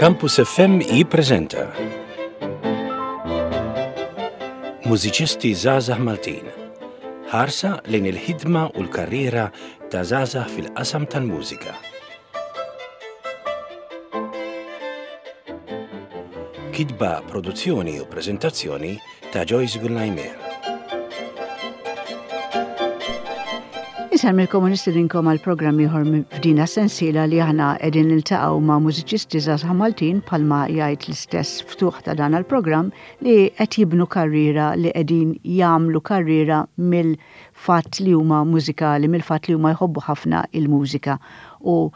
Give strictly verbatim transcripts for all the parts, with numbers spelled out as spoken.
Campus F M jippreżenta Mużiċisti Żgħażagħ Maltin. Ħarsa lejn il-ħidma u l-karriera ta' żgħażagħ fil-qasam tal-mużika. Kitba, produzzjoni u preżentazzjoni ta' Joyce Gullajmer. Insellmilkom u nistedinkom għal programm ieħor f'dina sensiela li aħna qegħdin niltaqgħu ma' mużiċisti żgħażagħ Maltin, bħalma jgħid l-istess ftuħ ta' dan il-programm, li qed jibnu karriera, li qegħdin jagħmlu karriera mill-fatt li huma mużikali, mill-fatt li huma jħobbu ħafna il-mużika u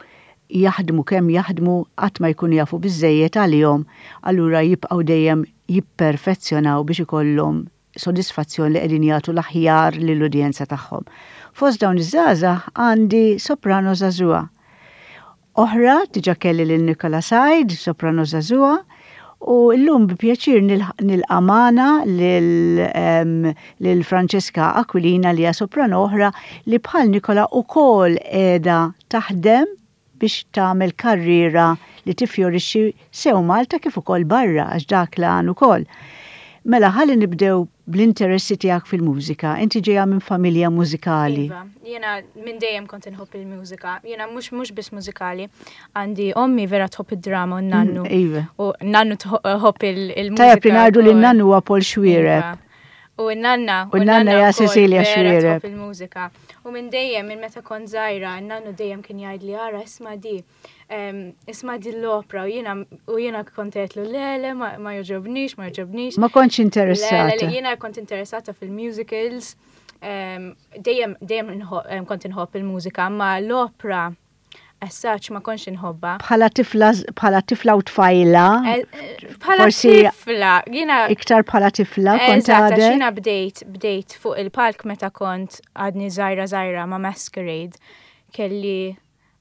jaħdmu kemm jaħdmu qatt ma jkunu jafu biżejjed għalihom, allura jibqgħu dejjem jipperfezzjonaw biex ikollhom sodisfazzjon li qegħdin jagħtu l-aħjar lill-udjenza tagħhom. Fost dawn iż-żgħażagħ għandi soprano żagħżugħa oħra, diġà kelli lil Nikola Said, soprano żagħżugħa, u llum bi pjaċir nilqa' magħna lil Francesca Aquilina, li hija soprano oħra li bħal Nikola wkoll qiegħda taħdem biex tagħmel karriera li tifjorixxi sew Malta kif ukoll barra, għax dak l-għan ukoll. Mela, ħalli nibdew bl-interessi tiegħek fil-mużika. Inti ġejja minn familja mużikali. Iva, jiena minn dejjem kont inħobb il-mużika. Jiena mhux mhux biss mużikali. Għandi ommi vera tħobb id-drama u nannu. Mm, iva. U nannu tħobb il-mużika. Tajjeb li ngħidu li nannu huwa Paul Xuereb. Iva. U n-nanna. U n-nanna hija Cecilia Xuereb. Tħobb il-mużika. U minn dejjem, minn meta kont żgħira, n-nannu dejjem kien jgħid li ara, isma' di. Isma' di l-opera, u jiena u jiena kont għedtlu le, le, ma jogħġobnix, ma jogħġobnix. Ma kontx interessata. Le, le, jiena kont interessata fil-musicals. Dejjem dejjem kont inħobb il-mużika, ma l-opera as such ma kontx inħobbha. Bħala tifla, bħala tifla u tfajla. Bħala tifla, jiena iktar bħala tifla kont għadek. Jiena bdejt bdejt fuq il-palk meta kont għadni żgħira żgħira ma' Masquerade. Kelli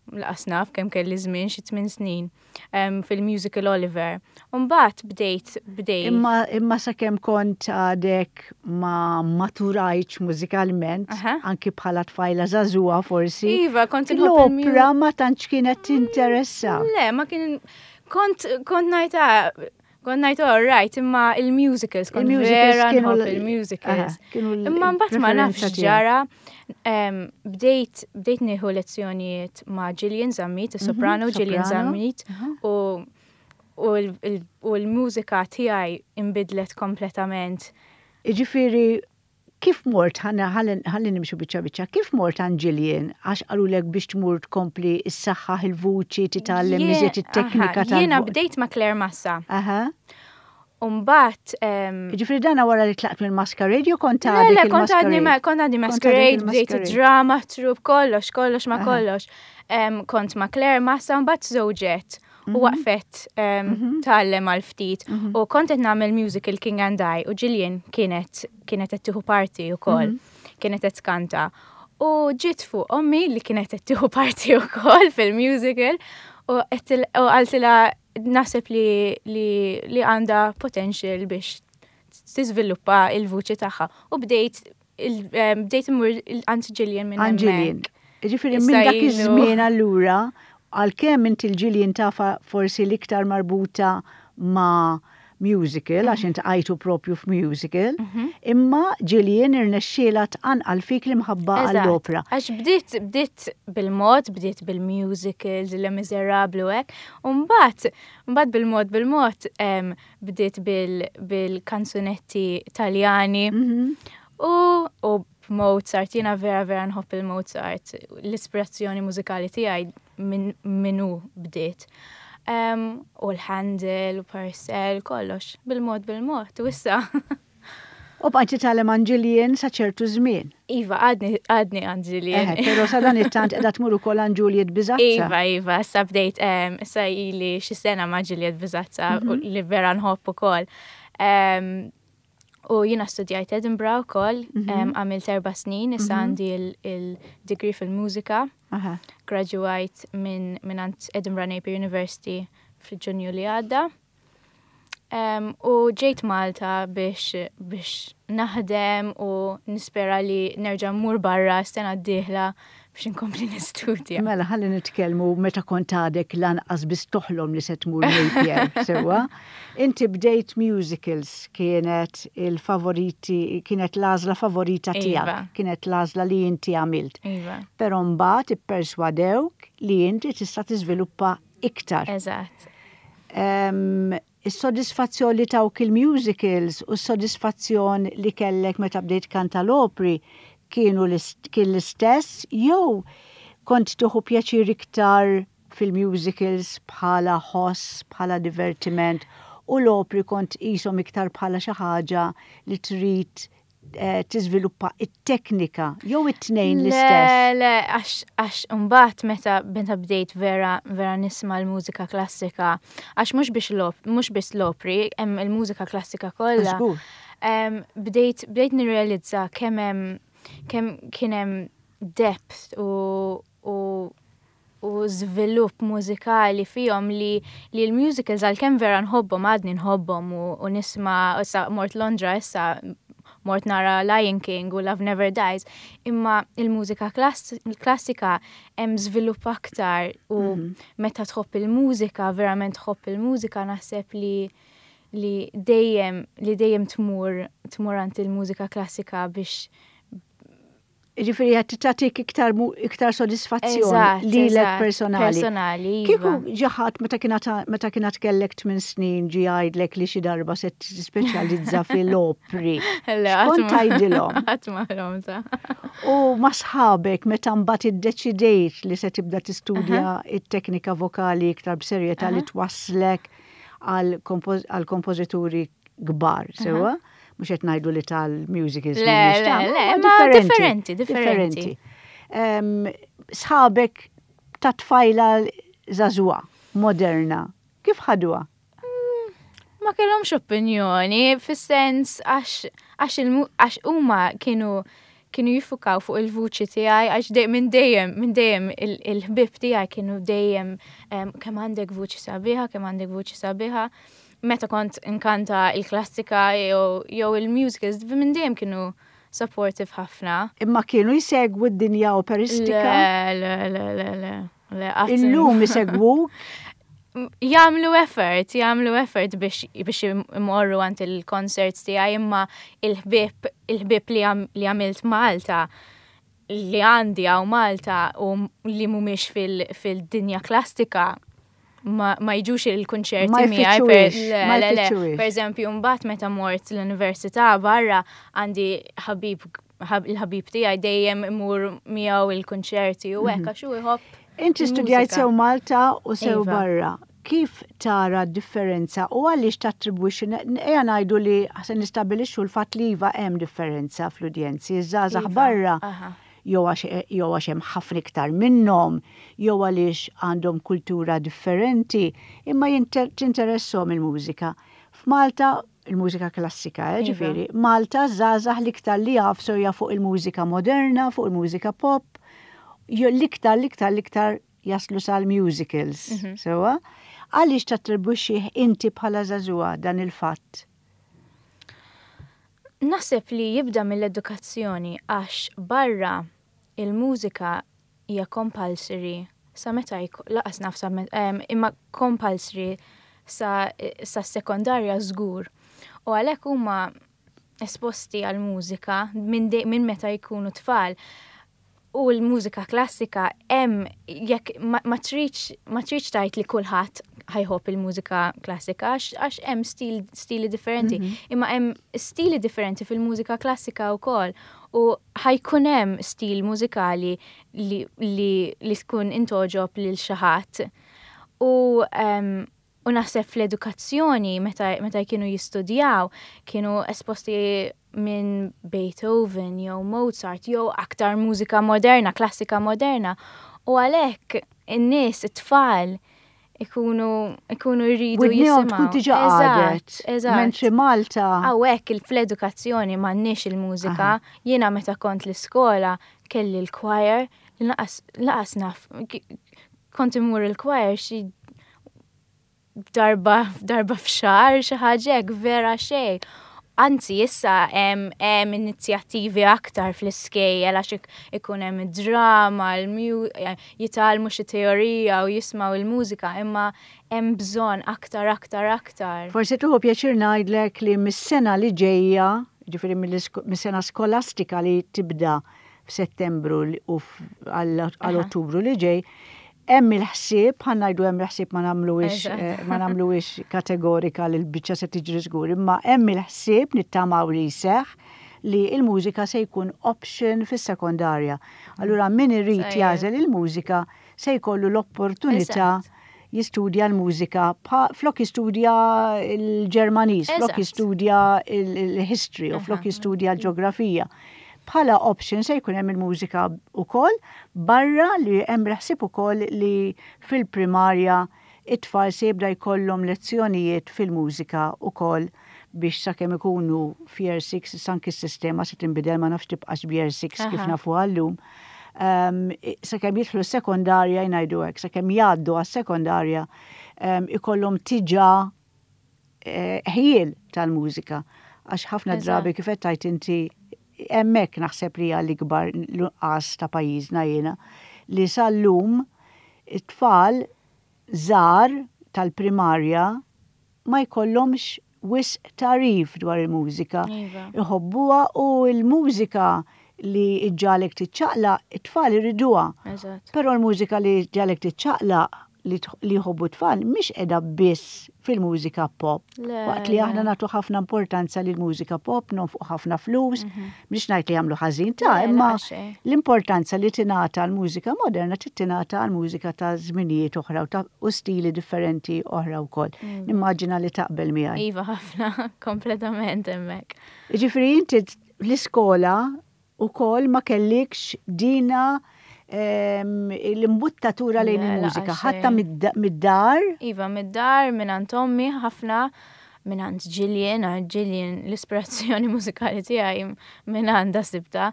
lanqas naf kemm kelli żmien, xi tmien snin, fil-musical Oliver. Mbagħad bdejt bdejt. Imma imma sakemm kont għadek ma maturajtx mużikalment, anki bħala tfajla żagħżugħa forsi. Iva, kont inħobb l-opera, ma tantx kienet tinteressa. Le, ma kien kont kont ngħidha kont ngħid all right, imma il-musicals, kont vera nħobb il-musicals. Imma mbagħad ma nafx ġara, bdejt bdejt nieħu lezzjonijiet ma' Gillian Zammit, is-soprano Gillian Zammit, u u l-mużika tiegħi inbidlet kompletament. Jiġifieri, kif mort, ħalli nimxu biċċa biċċa, kif mort għand Gillian? Għax qalulek biex tmur tkompli s-saħħaħ il-vuċi, titgħallem iżjed it-teknika tal Jiena bdejt ma' Claire Massa. Aha. Umbagħad. Ġifieri dana wara li tlaqt minn Masquerade jew kont għadek? Le, kont għadni kont għadni Masquerade, bdejt drama, troupe, kollox, kollox ma' kollox. Kont ma' Claire Massa, mbagħad żewġet u waqfet tgħallem għal ftit. U kont qed nagħmel musical King and I u Gillian kienet kienet qed tieħu parti wkoll, kienet qed tkanta. U ġiet fuq ommi li kienet qed tieħu parti wkoll fil-musical u qaltilha naħseb li li għandha potential biex tiżviluppa il-vuċi tagħha. U bdejt bdejt immur għand Gillian minn hemmhekk. Gillian. Ġifieri minn dak iż-żmien allura, għalkemm inti l-Gillian tafha forsi l-iktar marbuta ma' musical, għax int għajtu propju f'musical, imma Gillian irnexxielha tqanqal fik l-imħabba għall-opera. Għax bdiet bdiet bil-mod, bdiet bil-musicals, Les Miserables u hekk, u mbagħad mbagħad bil-mod bil-mod bdiet bil-kanzunetti Taljani u u Mozart, jiena vera vera nħobb il-Mozart, l-ispirazzjoni mużikali tiegħi minnu bdiet. U l-Handel, u Purcell, kollox, bil-mod bil-mod, u issa. U bqajt titgħallem għand Gillian sa ċertu żmien. Iva, għadni għadni għand Gillian. Però sa dan it-tant qiegħda tmur ukoll għand Juliet Bisazza. Iva, iva, issa bdejt, issa ili xi sena ma' Juliet Bisazza li vera nħobb ukoll. U jiena studjajt Edinburgh ukoll, għamilt erba' snin, issa għandi il-degree fil-mużika. Graduajt minn minn Edinburgh Napier University fil-Ġunju li għadda. Um, u ġejt Malta biex, biex naħdem u nispera li nerġa' mmur barra sena d-dieħla biex inkompli nistudja. Mela, ħalli nitkellmu meta kont għadek lanqas biss toħlom li se tmur Napier, sewwa. Inti bdejt musicals, kienet il-favoriti, kienet l-għażla favorita tiegħek, Iva. kienet l-għażla li inti għamilt. Iva. Però mbagħad ipperswadewk li inti tista' tiżviluppa iktar. Eżatt. Em, Is-sodisfazzjon li tawk il-musicals u s-sodisfazzjon li kellek meta bdejt kanta l-opri kienu l-ist- kien l-istess jew kont tieħu pjaċir iktar fil-musicals bħala ħoss, bħala divertiment, u l-opri kont qishom iktar bħala xi ħaġa li trid eh, tiżviluppa it-teknika jew it-tnejn l-istess? Le, le, għax, għax mbagħad meta meta bdejt vera, vera nisma' l-mużika klassika, għax mhux biex l-op, mhux biss l-opri, hemm il-mużika klassika kollha. Żgur. Em, Bdejt bdejt nirrealizza kemm hemm kemm kien hemm depth u u u żvilupp mużikali fihom li li l-musicals, għalkemm vera nħobbhom, għadni nħobbhom u, u nisma', issa mort Londra, issa mort nara Lion King u Love Never Dies, imma il-mużika klass klassika hemm żvilupp aktar u meta tħobb il-mużika, verament tħobb il-mużika, naħseb li li dejjem li dejjem tmur tmur għand il-mużika klassika biex Ġifieri qed tagħtik iktar mu- iktar sodisfazzjon Eżatt, lilek eżatt, personali. Personali, Kieku iva. ġi ħadd meta kienet meta kienet kellek tmien snin ġi jgħidlek li xi darba se tispeċjalizza fil-opri. Le, X'kont qatt ma- tgħidilhom? Qatt ma ħlomtha. U ma' sħabek meta mbagħad iddeċidejt li se tibda tistudja it-teknika vokali iktar b'serjetà li twasslek għal kompoż- għal kompożituri kbar, sewwa? Mhux qed ngħidu li tal-musicals Le, mhumiex le, ta' le, ma ma differenti, differenti. Em, Sħabek ta' tfajla żagħżugħa, moderna, kif ħaduha? Ma kellhomx opinjoni, fis-sens għax għax il- għax huma kienu kienu jiffukaw fuq il-vuċi tiegħi, għax dej, minn dejjem minn dejjem il- il-ħbib tiegħi kienu dejjem em, kemm għandek vuċi sabiħa, kemm għandek vuċi sabiħa. Meta kont inkanta il-klassika jew jew il-musicals, minn dejjem kienu supportive ħafna. Imma kienu jsegwu d-dinja operistika? Le, le, le, le, le. Le, qatt- Illum isegwuk? Jagħmlu effort, jagħmlu effort biex biex imorru għand il-concerts tiegħi, imma il-ħbieb il-ħbieb li għam- li għamilt Malta, li għandi hawn Malta u li mhumiex fil- fil-dinja klassika, ma, ma jiġux il-kunċerti Ma miegħi per, jfittxuhiex, le, ma le, le. jfittxuhiex. Per eżempju, mbagħad meta mort l-università barra, għandi ħabib ħab- il-ħabib tiegħi dejjem imur miegħu il-kunċerti u hekk, għax hu jħobb Inti studjajt il-mużika. sew Malta u sew Iva. barra. Kif tara d-differenza u għaliex tattribwixxi, ejja ngħidu li se nistabilixxu l-fatt li iva, hemm differenza fl-udjenzi, iż-żgħażagħ Iva, barra aha. jew għax jew għax hemm ħafna iktar minnhom, jew għaliex għandhom kultura differenti, imma jinter- tinteresshom il-mużika. F'Malta il-mużika klassika, eh, Iva. ġifieri, Malta żgħażagħ l-iktar li jafsu hija fuq il-mużika moderna, fuq il-mużika pop, jew l-iktar l-iktar l-iktar jaslu sal-musicals. Mhm. Sewwa? Għaliex tattribwixxi inti bħala żagħżugħa dan il-fatt? Naħseb li jibda mill-edukazzjoni, għax barra il-mużika hija compulsory sa meta jk- lanqas naf sa met- em, imma compulsory sa, sa sekondarja żgur. U għalhekk huma esposti għal mużika minn de- minn meta jkunu tfal. U l-mużika klassika hemm, jekk ma, ma tridx ma tridx tgħid li kulħadd ħa jħobb il-mużika klassika, għax għax hemm stil, stili differenti. Imma hemm stili differenti fil-mużika klassika wkoll u ħa jkun hemm stil mużikali li, li, li tkun intogħġob lil xi ħadd. U um, u naħseb fl-edukazzjoni meta, meta kienu jistudjaw kienu esposti minn Beethoven jew Mozart jew aktar mużika moderna, klassika moderna. U għalhekk in-nies, it-tfal, ikunu ikunu jridu Widnejhom jisimgħu. tkun diġà Eżatt, qadet. Eżatt. Mentri Malta. Hawnhekk il- fl-edukazzjoni m'għandniex il-mużika. Jiena meta kont l-iskola kelli l-choir, lanqas lanqas naf, kont imur il-choir xi Darba darba f'xahar, xi ħaġa hekk, vera xejn. Anzi, issa hemm hemm inizjattivi aktar fl-iskejjel għax ik- ikun hemm drama, jitgħallmu xi teorija u jismgħu il-mużika, imma hemm bżonn aktar, aktar, aktar. Forsi tieħu pjaċir ngħidlek li mis-sena li ġejja, ġifieri mis-sena skolastika li tibda f'Settembru u għal Ottubru li ġej, hemm il-ħsieb, ħa ngħidu hemm il-ħsieb, ma nagħmluhiex eh, ma nagħmluhiex kategorika li l-biċċa se tiġri żgur, imma hemm il-ħsieb, nittamaw li jseħħ, li il-mużika se jkun option fis-sekondarja. Allura min irid jagħżel il-mużika se jkollu l-opportunità jistudja l-mużika flok jistudja l-Ġermaniż, flok jistudja l-history u flok jistudja l-ġeografija. Bħala option se jkun hemm il-mużika wkoll, barra li hemm ħsieb ukoll li fil-primarja it-tfal se jibda jkollhom lezzjonijiet fil-mużika ukoll biex sakemm ikunu f'year six, anki s-sistema se tinbidel, ma nafx tibqax b'year six kif nafu għallum. Um, sakemm jidħlu sekondarja, jgħidu hekk, sakemm jgħaddu għas-sekondarja um, ikollhom diġà eh, ħjiel tal-mużika. Għax ħafna drabi, kif qed tgħid inti, hemmhekk naħseb li l-ikbar nuqqas ta' pajjiżna jiena li sal-lum it-tfal żgħar tal-primarja ma jkollhomx wisq tagħrif dwar il-mużika. Iva. Iħobbuha u l-mużika li ġġagħlek tiċċaqlaq, it-tfal iriduha. Però l-mużika li ġġagħlek tiċċaqlaq li jħobbu tfal mhix qiegħda biss fil-mużika pop. Waqt li aħna nagħtu ħafna importanza lil mużika pop, nonfqu ħafna flus, mhm. mhix ngħid li jagħmlu ħażin ta', imma l-importanza li tingħata l-mużika moderna tingħata l-mużika ta' żminijiet oħra u stili differenti oħra wkoll. Mm. Nimmaġina li taqbel miegħi. Iva, ħafna, kompletament hemmhekk. Ġifieri inti l-iskola ukoll ma kellikx dina l-imbuttatura lejn il-mużika, ħadtha mid-dar? Iva, mid-dar, minn għand ommi ħafna, minn għand Gillian, għand Gillian l-ispirazzjoni mużikali tiegħi minn għandha sibtha.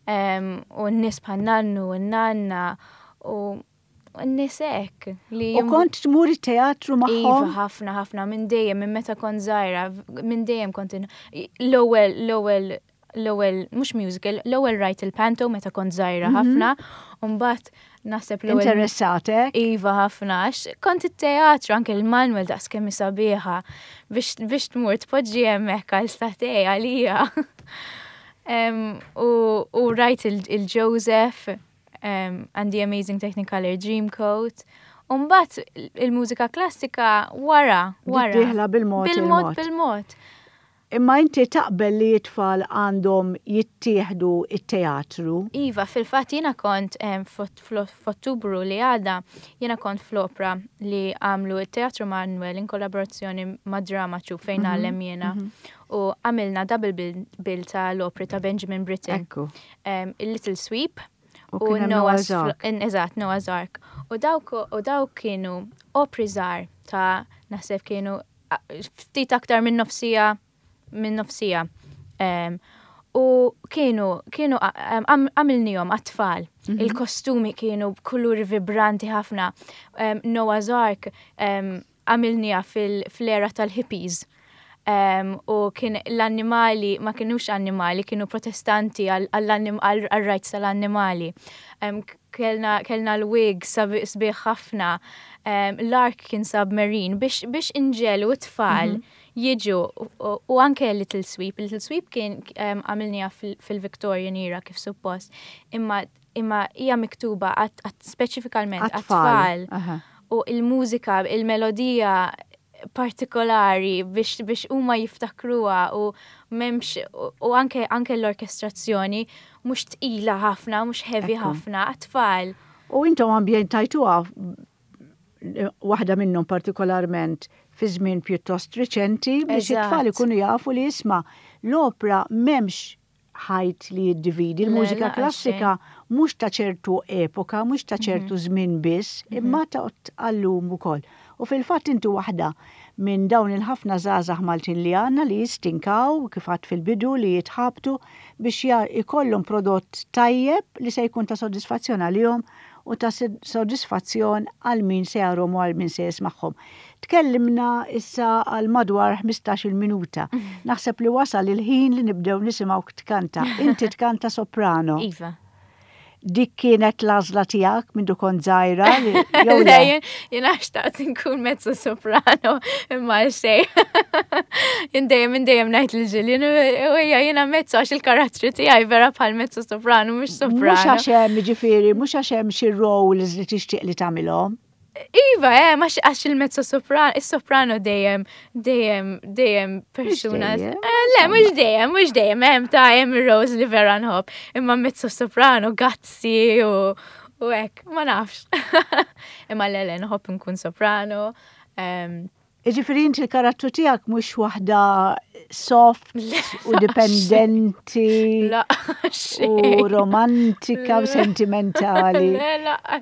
U n-nies bħal nannu u n-nanna u n-nies hekk li. U kont tmur it-teatru Iva, magħhom? Ħafna, ħafna, minn dejjem, minn meta kont żgħira, minn dejjem kont l-ewwel, l-ewwel, l-ewwel, mhux musical, l-ewwel rajt il-panto meta kont żgħira ħafna, u mbagħad naħseb l-ewwel. Interessatek? Iva, ħafna, għax kont it-teatru, anke il-Manuel daqs kemm sabiħa biex biex tmur tpoġġi hemmhekk għal sagħtejn għalija. Em, U u rajt il-Joseph um, and the Amazing Technicolor Dreamcoat. U mbagħad il-mużika klassika wara, wara. Dieħla bil-mod Bil-mod, il-mod. Bil-mod. Imma inti taqbel li t-tfal għandhom jittieħdu it-teatru? Iva, fil-fatt jiena kont em, f'Ott- f'Ottubru li għadda, jiena kont fl-opra li għamlu il-Teatru Manuel in kollaborazzjoni ma' Drama Troupe fejn ngħallem jiena. U għamilna double bill, bill ta' l-opri ta' Benjamin Britten. Ekku. Um, il-Little Sweep U kien hemm Noah's Noah's Ark. Fl- Eżatt, Noah's Ark. U dawk, u dawk kienu opri żgħar ta' naħseb kienu a- ftit aktar minn nofs siegħa minn nofs siegħa. Um, u kienu, kienu għam- għamilnihom għat-tfal. Il-kostumi kienu b'kuluri vibranti ħafna. Um, Noah's Ark um, għamilniha fil-era tal-hippies. Um, u kien l-annimali, ma kienux annimali, kienu protestanti għal-rights tal-annimali. Um, kellna, kellna l-wig sbieħ ħafna, um, l-ark kien submarine biex, biex inġegħlu t-tfal jiġu u, u anke Little Sweep. Little Sweep kien um, għamilniha fil-Victorian era kif suppost, imma imma hija miktuba għat, għat speċifikalment Għat-tfal. għat-tfal. Aha. U il-mużika, il-melodija partikolari biex, biex huma jiftakruha u m'hemmx u, u anke, anke l-orkestrazzjoni mhux tqila ħafna, mhux heavy Ekku. ħafna, għat-tfal. U intom ambjentajtuha, waħda minnhom partikolarment, fi żmien pjuttost riċenti biex Eżatt. it-tfal ikunu jafu li, isma', l-opra m'hemmx ħajt li jiddividi, Le, il-mużika laqas klassika mhux ta' ċertu epoka, mhux ta' ċertu żmien biss, imma ta' għallum ukoll. U fil-fatt inti waħda minn dawn il-ħafna żgħażagħ Maltin li għandna li jistinkaw, kif għedt fil-bidu, li jitħabtu biex ja- ikollhom prodott tajjeb li se jkun ta' soddisfazzjon għalihom. u ta' sodisfazzjon għal min se jarahom u għal min se jismagħhom. Tkellimna issa għal madwar ħmistax-il minuta. Naħseb li wasal il-ħin li nibdew nisimgħu tkanta. Inti tkanta soprano. Iva. Dik kienet l-għażla tiegħek mindu kont żgħira jew le? Jiena xtaqt nkun mezzo soprano imma xejn. Jien dejjem dejjem ngħid lil Ġillian u hija jiena mezzo għax il-karattru tiegħi vera bħal mezzo soprano mhux soprano. Mhux għax hemm jiġifieri, mhux għax hemm xi roles li tixtieq li tagħmilhom. Iva, eh, ma għax il-mezzo soprano, il-soprano dejjem, dejjem, dejjem persuna. Eh, le, mhux dejjem, mhux dejjem, hemm ta' hemm roles li vera nħobb. Imma mezzo soprano, gutsy u u hekk, ma nafx. Imma le, le, nħobb nkun soprano. Jiġifieri inti l-karattru tiegħek mhux waħda soft u dipendenti u romantika u sentimentali.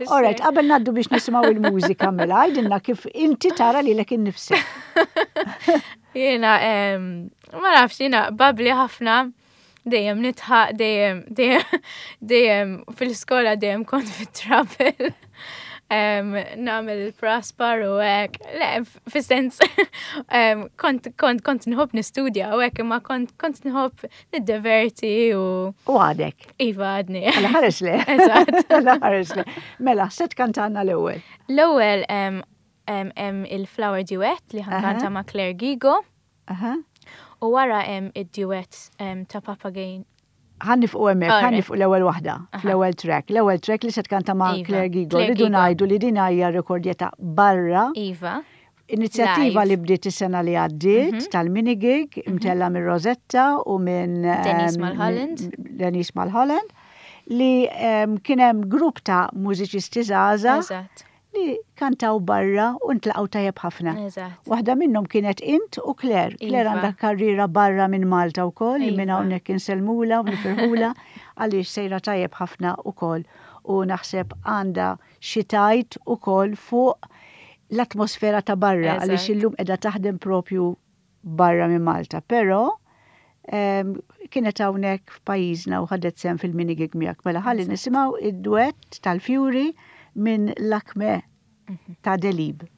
Alright, qabel ngħaddu biex nisimgħu il-mużika mela, għidilna kif inti tara lilek innifsek. Jiena, ma nafx, jiena bubbly ħafna, dejjem nidħaq, dejjem, dejjem, dejjem fil-skola dejjem kont fit-trouble. Nagħmel il-praspar u hekk, le, fis-sens, kont, kont, kont nħobb nistudja u hekk, imma kont, kont nħobb niddeverti u. U għadek? Iva, għadni. Għala ħares le. Eżatt. Għala ħares le. Mela, se tkantanna l-ewwel? L-ewwel hemm il-Flower Duet li ħa nkanta ma' Claire Gigo. U wara hemm id-duet ta' Papageno. Ħa nieqfu hemmhekk, ħa nieqfu l-ewwel waħda, fl-ewwel track. L-ewwel track li se tkanta ma' Iva, Claire Gigo. Claire Rridu Gigo. ngħidu li din hija rekordjata barra. Iva. Inizjattiva Live. li bdiet is-sena li għaddiet tal-mini gig imtella minn Rosetta u minn Denise em, Mulholland. Denise Mulholland li em, kien hemm grupp ta' mużiċisti żgħażagħ Eżatt. li kantaw barra u ntlaqgħu tajjeb ħafna. Eżatt. Waħda minnhom kienet int u Claire. Claire Iva. għandha karriera barra minn Malta wkoll, li minn Iva. hawnhekk insellmulha u nifirħula għaliex sejra tajjeb ħafna ukoll u naħseb għandha xi tgħid ukoll fuq l-atmosfera ta' barra għaliex Eżatt. illum qiegħda taħdem propju barra minn Malta. Però em, kienet hawnhekk f'pajjiżna u ħadet sehem fil-mini gig miegħek. Mela ħalli nisimgħu id-duett tal-Fjuri minn Lakmé ta' Delibes.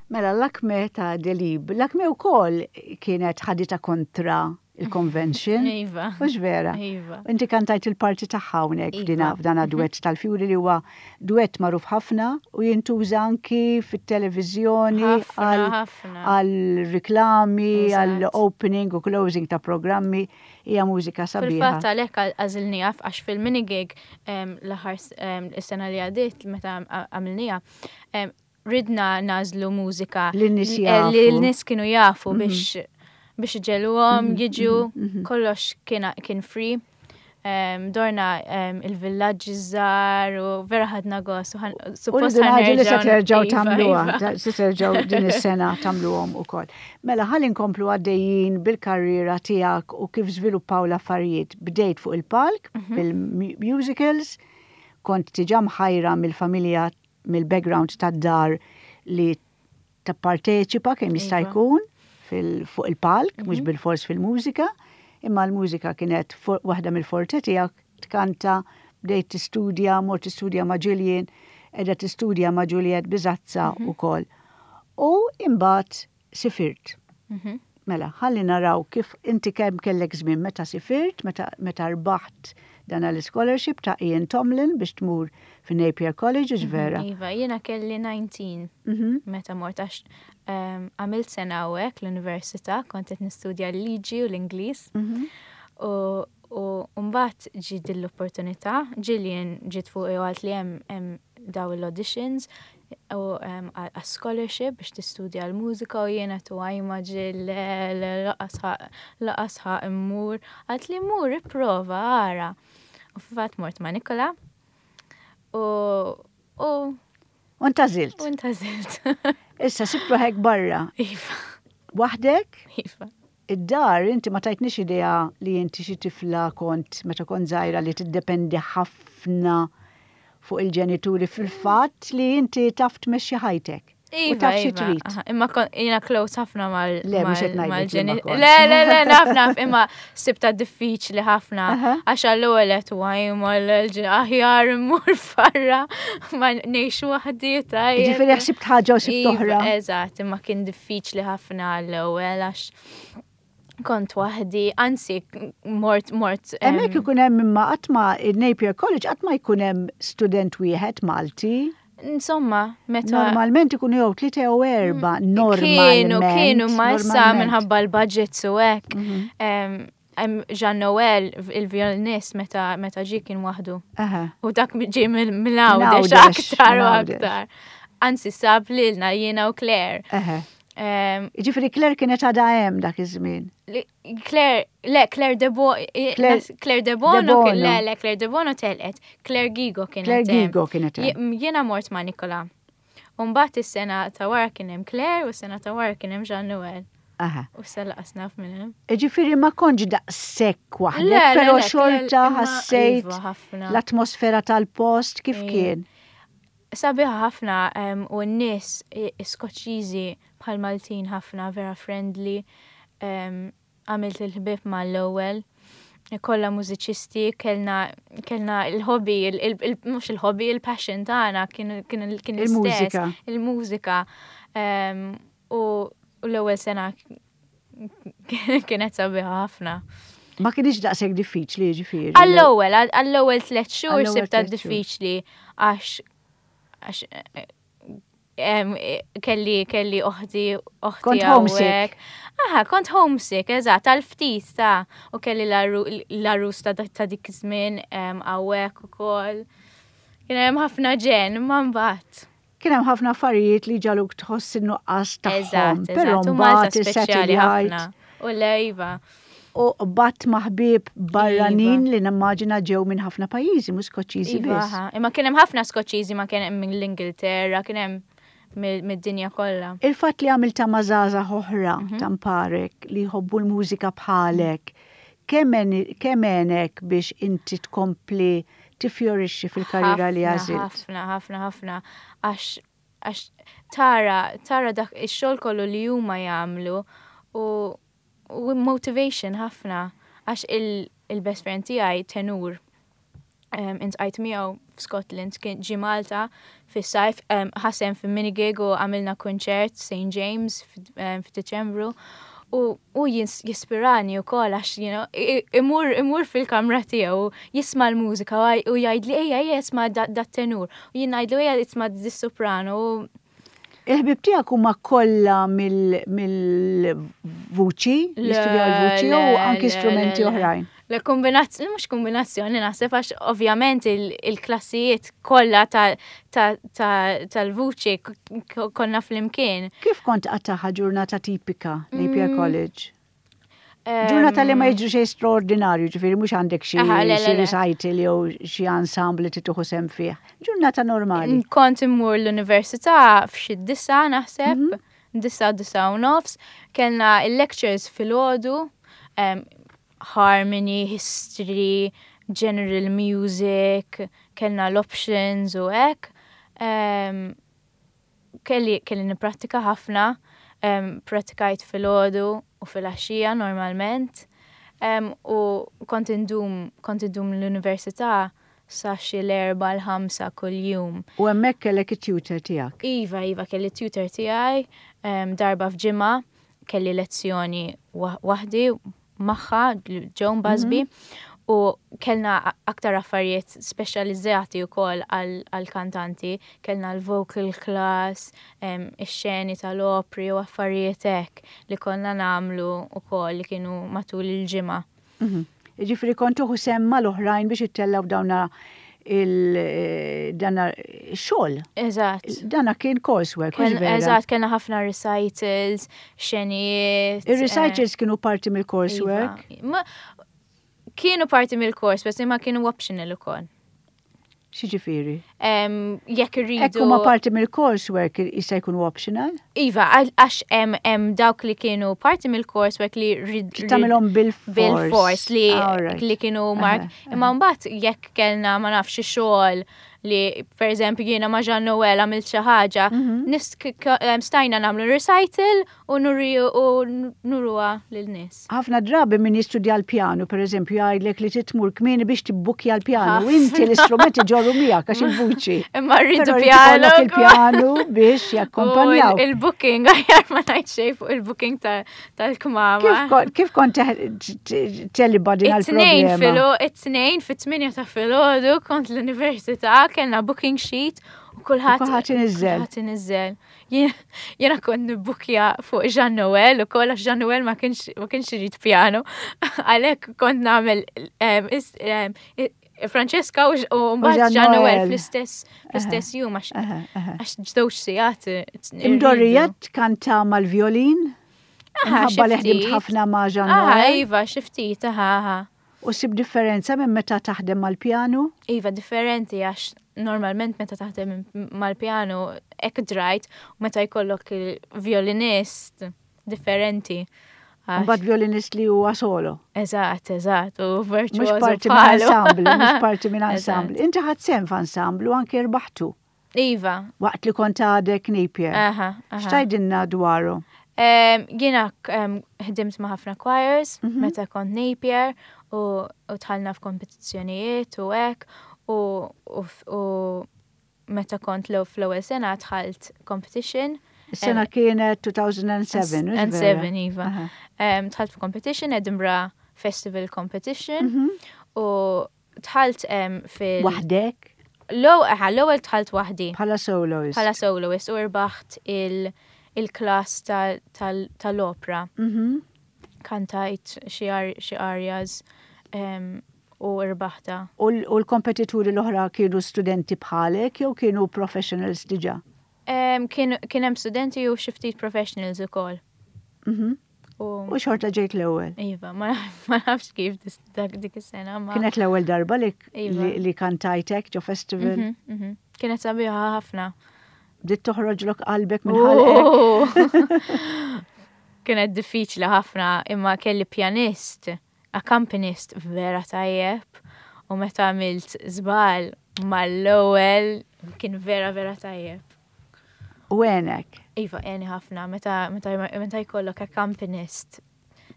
Mela Lakmé ta' Delibes. Lakmé wkoll kienet ħadita kontra il-convention. Iva. Mhux vera? Iva. Inti kantajt il-parti tagħha hawnhekk Iva. f'dana duett tal-Fjuri li huwa duett magħruf ħafna u jintuża anki fit-televiżjoni Ħafna, għal ħafna. għal riklami, għal Eżatt. opening u closing ta' programmi, hija mużika sabiħa. Fil-fatt għalhekk għażilniha għax fil-mini gig l-aħħar is-sena li għaddiet meta għamilniha em, ridna nagħżlu mużika Li n-nies li jafu. l-nies kienu jafu biex biex iġegħluhom jiġu kollox kien kien free. Em, dorna em, il-villaġġi żgħar u vera ħadna gost u ħan- U suppost rridu ngħidu li se ħa nerġgħu- terġgħu Iva, tagħmluha, iva. ta- se terġgħu din is-sena tagħmluhom ukoll. Mela ħalli nkomplu għaddejjin bil-karriera tiegħek u kif żviluppaw l-affarijiet. Bdejt fuq il-palk Mhm. bil-musicals, Kont diġà mħajra mill-familja, mill-background tad-dar li tapparteċipa kemm jista' Iva. jkun fuq il-palk, mhux bil-fors fil-mużika, imma l-mużika kienet waħda mill-forte tiegħek, tkanta, bdejt tistudja, mort tistudja ma' Gillian, qiegħda tistudja ma' Juliet Bisazza u kollox. U imbagħad sifirt. Mhm. Mela, ħalli naraw kif inti kemm kellek żmien meta sifirt, meta, meta rbaħt dan l-scholarship ta' Ian Tomlin biex tmur fi Napier College, mm vera? Iva, jiena kelli dsatax Mhm. meta mort għax em, għamilt sena hawnhekk l-università, kont qed nistudja l-liġi u l-Ingliż. Mhm. U u mbagħad ġiet din l-opportunità, Gillian ġiet fuq u qaltli hemm hemm daw l-auditions u em, għal scholarship biex tistudja l-mużika u jiena tu għajma ġil lanqas ħa immur. Qaltli mur ipprova ara. U fil-fatt mort ma' Nikola u u U ntgħażilt. u ntgħażilt. Issa sibt ruħek barra. Iva, Waħdek, iva. id-dar inti ma tajtnix idea li inti xi tifla kont meta kont żgħira li tiddependi ħafna fuq il-ġenituri fil-fatt li inti taf tmexxi ħajtek. U Iva, taf xi iva. trid. Aha, Imma kon- jiena close ħafna mal Le, mhux qed mal- ngħidlek li ma mal-ġeni- kontx. Le, le, le, naf, naf, imma sibta diffiċli ħafna. Aha. Għax għall-ewwel qed għajma l-aħjar immur barra ma ngħix waħdi tajjeb. Ġifieri ħsibt ħaġa u sibt Iva, oħra. Eżatt, imma kien diffiċli ħafna għall-ewwel għax kont waħdi, anzi mort mort. em, Hemmhekk ikun hemm imma qatt ma il-Napier College qatt ma jkun hemm student wieħed Malti. Insomma, meta Normalment ikunu jew tlieta jew erba' normalment. Kienu, kienu, ma issa normalment. minħabba l-budgets u hekk. Mhm. Em, em, Jean Noel, il-violinist, meta meta ġie kien waħdu. Aha. U dak ġie mill-Għawdex Mill-Għawdex, aktar u mill-Għawdex. aktar. Anzi, sab lilna jiena u Claire. Aha. Em, Ġifieri Claire kienet għadha hemm dak iż-żmien. li- Claire, le, Claire Debo, Claire Claire Debono, Debono. le, le, Claire Debono telqet, Claire Gigo kienet Claire hemm. Gigo kienet hemm. Je- Jiena mort ma' Nikola. Umbagħad is-sena ta' wara kien hemm Claire u s-sena ta' wara kien hemm Jean Noel. Aha. U issa lanqas naf minn hemm. Ġifieri ma kontx daqshekk waħdek, Le, le, però le, xorta imma ħassejt iva, ħafna. l-atmosfera tal-post kif Iva. kien. Sabiħa ħafna em, u n-nies i- Skoċċiżi bħal Maltin ħafna vera friendly. em, Għamilt il-ħbib mal-ewwel. Kollha mużiċisti, kellna kellna il-hobby, il- il- il- mhux il-hobby, il-passion tagħna kien kien kien l-istess. Il-mużika. Il-mużika. Em, U u l-ewwel sena kienet sabiħa ħafna. Ma kienx daqshekk diffiċli ġifieri. Għall-ewwel, għall-ewwel tliet xhur Għall-ewwel sibta tliet xhur. diffiċli għax għax eh, em, eh, kelli kelli oħti oħti Kont homesick. hawnhekk. Aha, kont homesick, eżatt, għal ftit ta' u kelli l-għarus ta' ta' dik iż-żmien em, hawnhekk ukoll. Kien hemm ħafna ġen, ma mbagħad. Kien hemm ħafna affarijiet li ġagħluk tħoss in-nuqqas tagħhom, Eżatt, però eżatt, u Malta mbagħad speċjali ħafna. is-satellite U lejva. u bat ma' ħbieb barranin Iva. li nimmaġina ġew minn ħafna pajjiżi, mhux Skoċċiżi Iva, biss. aha. Imma kien hemm ħafna Skoċċiżi ma kien hemm mill-Ingilterra, kien hemm mill- mid-dinja kollha. Il-fatt li għamilta ma' żgħażagħ oħra Mhm. ta' mparek li jħobbu l-mużika bħalek, kemm għenek biex inti tkompli tifjorixxi fil-karriera li Ħafna, għażilt? Ħafna, ħafna, ħafna. Għax għax tara, tara dak ix-xogħol kollu li huma jagħmlu u, u motivation ħafna. Għax il- il-best friend tiegħi tenur um, iltqajt miegħu f'Scotland kien ġie Malta fis-sajf um, ħa sehem fi minigig u għamilna kunċert St. James f'Diċembru u, u jins- jispirani u kol għax you know, i- i- imur, imur fil-kamra tiegħu jisma' l-mużika u għaj- u jgħidli ejja ejja isma' da, da tenur u jien ngħidlu ejja isma' dis-soprano u Il-ħbib tiegħek huma kollha mill-vuċi, jistudjaw il-vuċi u Le, anki le, strumenti le, le. oħrajn. Le kombinazzjoni, mhux kombinazzjoni naħseb għax ovvjament il- il-klassijiet kollha tal-vuċi k- konna flimkien. Kif kont tqattagħha ġurnata tipika Napier Mm. College? Ġurnata li ma jiġri xejn straordinarju, ġifieri mhux għandek xi Aha, le, le, xi le. recital jew xi ensemble li tieħu sehem fih. Ġurnata normali. Kont immur l-università f'xi disgħa naħseb, Mhm. disgħa disgħa u nofs, kellna il-lectures filgħodu, um, harmony, history, general music, kellna l-options u hekk. Um, kelli, kelli niprattika ħafna, um, pratikajt filgħodu u filgħaxija normalment. Um, u kont indum, kont indum l-università sa xi l-erba l-ħamsa kull-jum. U hemmhekk kellek it-tutor tiegħek. Iva, iva, kelli tutor tiegħi, um, darba f'ġimgħa, kelli lezzjoni wa- waħdi magħha, Joan Busby, u kellna a- aktar affarijiet speċjalizzati wkoll għal-kantanti, kellna l-vocal class, um, ix-xeni tal-opri u affarijiet hekk li konna nagħmlu wkoll li kienu matul il-ġimgħa. Mhm. Ġifieri kont tieħu sehem mal-oħrajn biex ittellaw dawna il dana xogħol. Eżatt. Dana kien coursework, Ken- mhux vera? Eżatt, kellna ħafna recitals, xenijiet. Ir-recitals kienu parti mill-coursework. Iva. Ma- Kienu parti mill-course, bas imma kienu optional ukoll. X'jiġifieri? Em, Jekk irridu. Hekk huma parti mill-coursework jista' jkunu optional? Iva, għal- għax hemm hemm dawk li kienu parti mill-coursework li rid Tagħmilhom bil-fors. bil-fors li, Alright. li kienu mark. Aha, Imma mbagħad jekk kellna ma nafx xi xogħol li per eżempju jiena ma' Jean Noel għamilt xi ħaġa, Mhm. nis- k- k- em, stajna nagħmlu recital u nuri u nuruha lil-nies. Ħafna drabi min jistudja l-pjanu, per eżempju, jgħidlek li tmur kmieni biex tibbukja l-pjanu. Inti l-istrumenti ġorru miegħek għax il-vuċi. Imma rridu Però jrid pjanu. ikollok il-pjanu biex jakkompanjaw. U Il-booking, aħjar ma ngħid xejn fuq il-booking ta- tal-kmama. Kif kon- Kif kont teħ- teliba din It-tnejn għal-problema? filo, it-tnejn fit-tminja ta' filgħodu kont l-università, kellna booking sheet u kulħadd Kulħadd iniżżel. Kulħadd iniżżel. Jien- Jiena kont nibbukja fuq Jean Noel u koll għax Jean Noel ma kienx ma kienx irid piano. Għalhekk kont nagħmel em, is- em, i- Francesca u u mbagħad Jean Jean Noel Noel. fl-istess fl-istess jum għax Aha, aha. għax żewġ sigħat Imdorrija tkanta mal-violin? Aha, Minħabba li xi ħdimt ftit. ħafna ma' Jean Aha, Noel. iva, xi ftit, aha, aha. U ssib differenza minn meta taħdem mal-pjanu? Iva, differenti għax normalment meta taħdem mal-pjanu hekk drajt u meta jkollok il-violinist differenti. Għax- Mbagħad violinist li huwa solo. Eżatt, eżatt, u Mhux virtuoso parti minn bħalu. ensemble, mhux parti minn Eżatt. ensemble. Inti ħadt sehem f'ensemble u anke rbaħtu Iva, waqt li kont għadek Napier. aha, aha. X'tgħidilna dwaru? Em, Jiena em, ħdimt ma' ħafna choirs Mhm. meta kont Napier u u dħalna f'kompetizzjonijiet u hekk u u f- u meta kont l fl-ewwel sena dħalt competition. Is-sena kienet two thousand and seven, mhux And vera? seven, iva. Aha. Um, dħalt f'competition, Edinburgh Festival Competition, Mhm. u dħalt um, fil... Waħdek L-ewwel dħalt waħdi bħala soloist. bħala soloist u rbaħt il- il-klass tal- tal- tal-opra. Mhm. Kantajt xi ar- xi arias um, u rbaħta. U l- u l-kompetituri l-oħra kienu studenti bħalek jew kienu professionals diġà? Um, kien kien hemm studenti u xi ftit professionals ukoll. Mhm. U U xorta ġejt l-ewwel. Iva, ma ma nafx kif dis- dak dik is-sena ma. Kienet l-ewwel darba li, Iva. li, li kantajtek ġo festival. Mhm, mhm. Kienet sabiħa ħafna. Bdiet toħroġlok qalbek minn ħalqek. Oh! Kienet diffiċli ħafna imma kelli pjanist, accompanist vera tajjeb u meta għamilt żball mal-ewwel kien vera vera tajjeb. U għenek. Iva, għeni ħafna meta meta meta jkollok accompanist.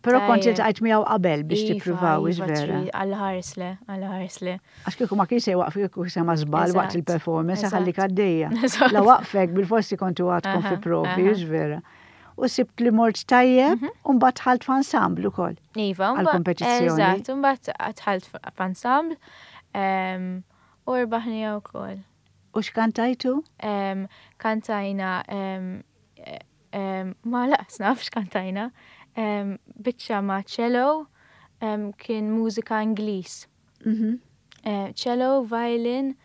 Però kont Tajjeb. iltqajt miegħu qabel biex Iva, tippruvaw, iva, vera. trid- Alla ħares le, Alla ħares le. Għax kieku ma kien se jwaqfek kieku sema żball waqt Eżatt, il-performance eżatt. ħallik għaddejja. Eżatt. La waqfek bil-forsi kontu għadkom fi Aha, provi, aha. hux vera. U sibt li mort tajjeb u mbagħad dħalt f'ensemble ukoll. Iva, Għal kompetizzjoni. Eżatt, mbagħad dħalt f'ensemble em, u rbaħni wkoll. U x'kantajtu? Em, Kantajna em, em, ma laqas naf x'kantajna, em, biċċa ma' cello, em, kien mużika Ingliż. Mhm. Eh, Cello, violin,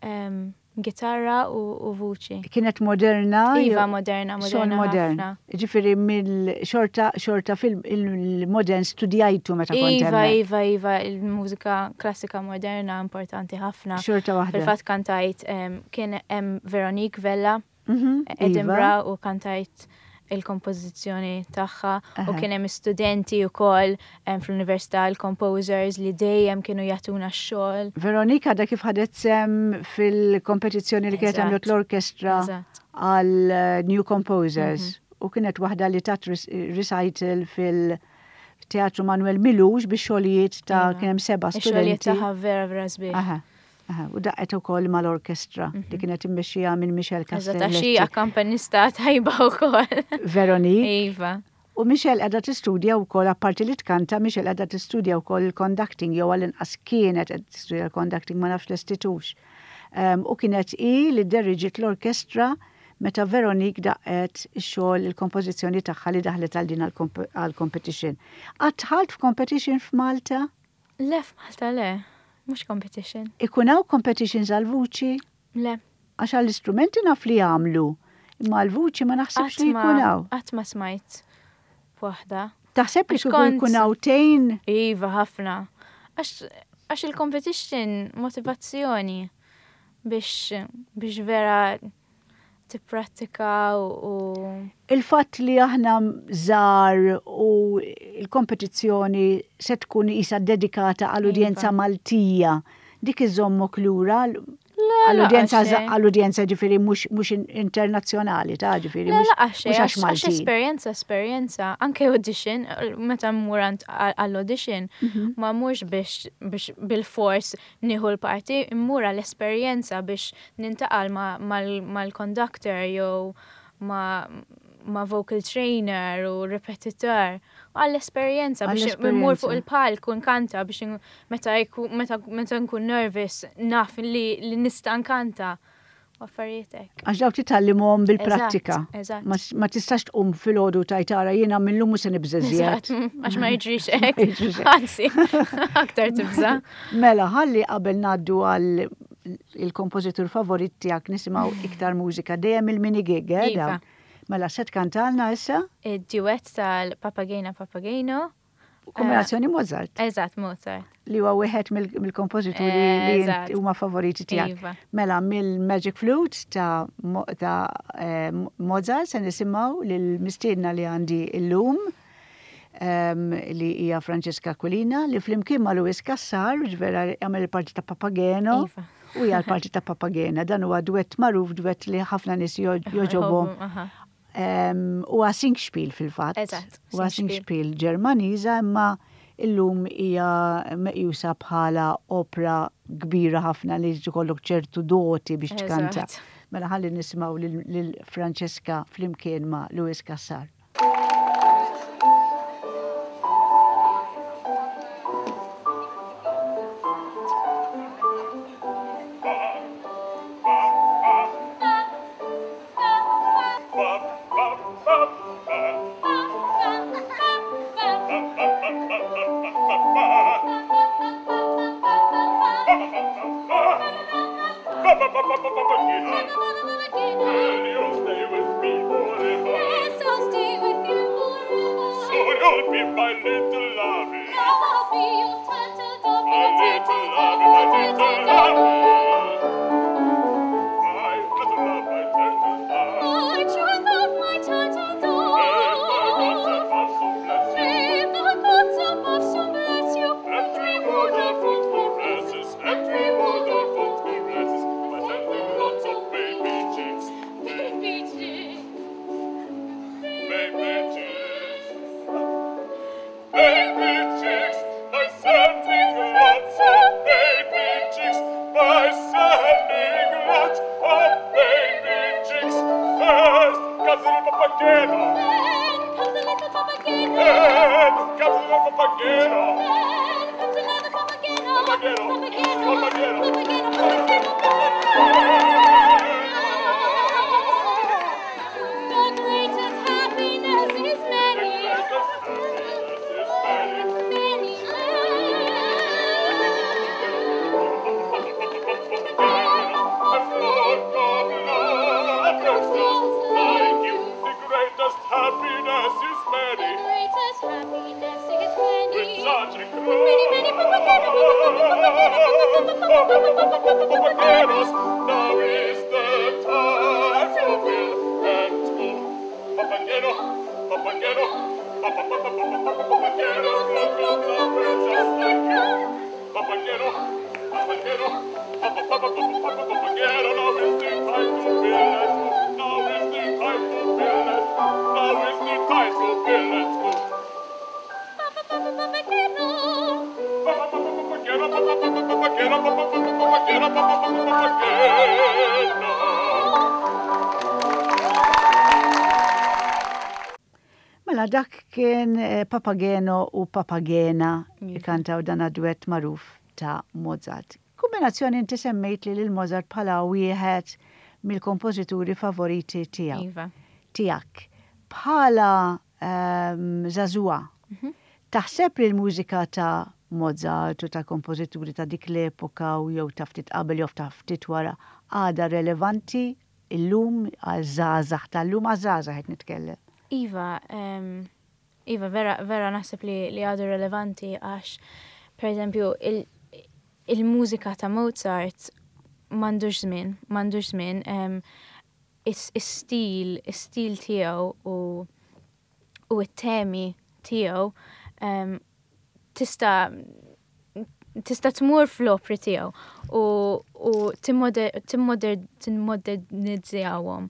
em, gitarra u, u vuċi. Kienet moderna? Iva, jew- moderna, Son moderna modern. ħafna. Ġifieri mill-xorta xorta fil-modern studjajtu meta kont Iva, hemmhekk. iva, iva, il-mużika klassika moderna importanti ħafna. Xorta waħda. Fil-fatt kantajt em, kien hemm Veronique Vella, Mhm, Iva. Edinburgh u kantajt il-kompożizzjoni tagħha u kien hemm studenti wkoll fl-università, il-composers li dejjem kienu jagħtuna x-xogħol. Veronika da kif ħadet sem fil-kompetizzjoni li kienet għamlet l-orkestra għal New Composers u kienet waħda li tat recital fil- Teatru Manuel Milux biex xogħlijiet ta' kien hemm seba' studenti. Xogħlijiet tagħha vera vera sbieħ. U daqqet ukoll mal-orkestra li kienet immexxija minn Michelle Castelletti. Eżatt, għax hi akkampanista tajba wkoll. Veronique. Iva. U Michelle qiegħda tistudja wkoll, apparti li tkanta, Michelle qiegħda tistudja wkoll il-conducting, jew għall-inqas kienet qed tistudja l-conducting, ma nafx l-istitux. U kienet hi li dderriġiet l-orkestra meta Veronique daqqet ix-xogħol, il-kompożizzjoni tagħha li daħlet għal din għall-competition. Qatt dħalt f'competition f'Malta? Le, f'Malta le, mhux competition. Ikun hawn competitions għal-vuċi? Le. Għax għall-istrumenti naf li jagħmlu, imma għal-vuċi ma naħsibx li jkun hawn. Qatt ma smajt waħda. Taħseb li jkun hawn tgħin? Iva, ħafna. Għax il-competition motivazzjoni biex biex vera tipprattika u il-fatt li aħna żgħar u l-kompetizzjoni se tkun isa dedikata għall-udjenza Maltija, dik iżommok lura għall-udjenza għall-udjenza ġifieri mhux internazzjonali ta' ġifieri mhux għax Malti. Esperjenza, esperjenza, anke audition, meta mmur għall-audition, ma mmurx biex bil-fors nieħu l-parti, mmur għall-esperjenza biex nintaqal mal-conductor jew ma' vocal trainer u repetitor, għall-esperjenza biex mmur fuq il-palk u nkanta biex meta nkun nervous naf li nista' nkanta u affarijiet hekk. Għax dawk titgħallimhom bil-prattika. Ma tistax tqum filgħodu tgħid ara jiena millum mhux se nibża' żjed. Għax ma jiġrix hekk. Anzi, aktar tibża'. Mela, ħalli qabel ngħaddu għal il-kompożitur favorit tiegħek nisimgħu iktar mużika dejjem il-mini gig, eh? Mela, se tkantalna issa? Id-duett tal-Papagena Papageno. Kombinazzjoni Mozart. Eżatt, Mozart. Li huwa wieħed mill-kompożituri li huma favoriti tiegħek. Mela, mill-Magic Flute ta' Mozart se nisimgħu lill-mistiedna li għandi llum, li hija Francesca Aquilina, li flimkien ma' Louis Cassar, vera jagħmel il-parti ta' Papageno. U hija l-parti ta' Papagena. Dan huwa duett magħruf, duett li ħafna nies jogħġobhom. Huwa singspiel fil-fatt. Eżatt. Huwa singspiel Ġermaniża, imma illum hija meqjusa bħala opra kbira ħafna li jkollok ċertu doti biex tkanta. Mela ħalli nisimgħu lil Francesca flimkien ma' Louis Cassar. Now is the time to will and go. Papageno, Dak kien eh, Papageno u Papagena ikantaw dan duett magħruf ta' Mozart. Kombinazzjoni, inti semmejt li lil Mozart bħala wieħed mill-kompożituri favoriti tiegħu. Iva. Tiegħek. Bħala um, żagħżugħa, Mhm. taħseb li l-mużika ta' Mozart u ta' kompożituri ta' dik l-epoka u jew ta' ftit qabel jew ta' ftit wara għada relevanti illum għal żgħażagħ tal-lum, għal żgħażagħ qed nitkellem? Iva, um, Iva, vera, vera naħseb li, li għadu relevanti għax, per eżempju, il- il-mużika ta' Mozart m'għandux żmien, m'għandux żmien, um, is-stil, is-stil tiegħu u u it-temi tiegħu um, tista' tista' tmur fl-opri tiegħu u, u timmodernizzjawhom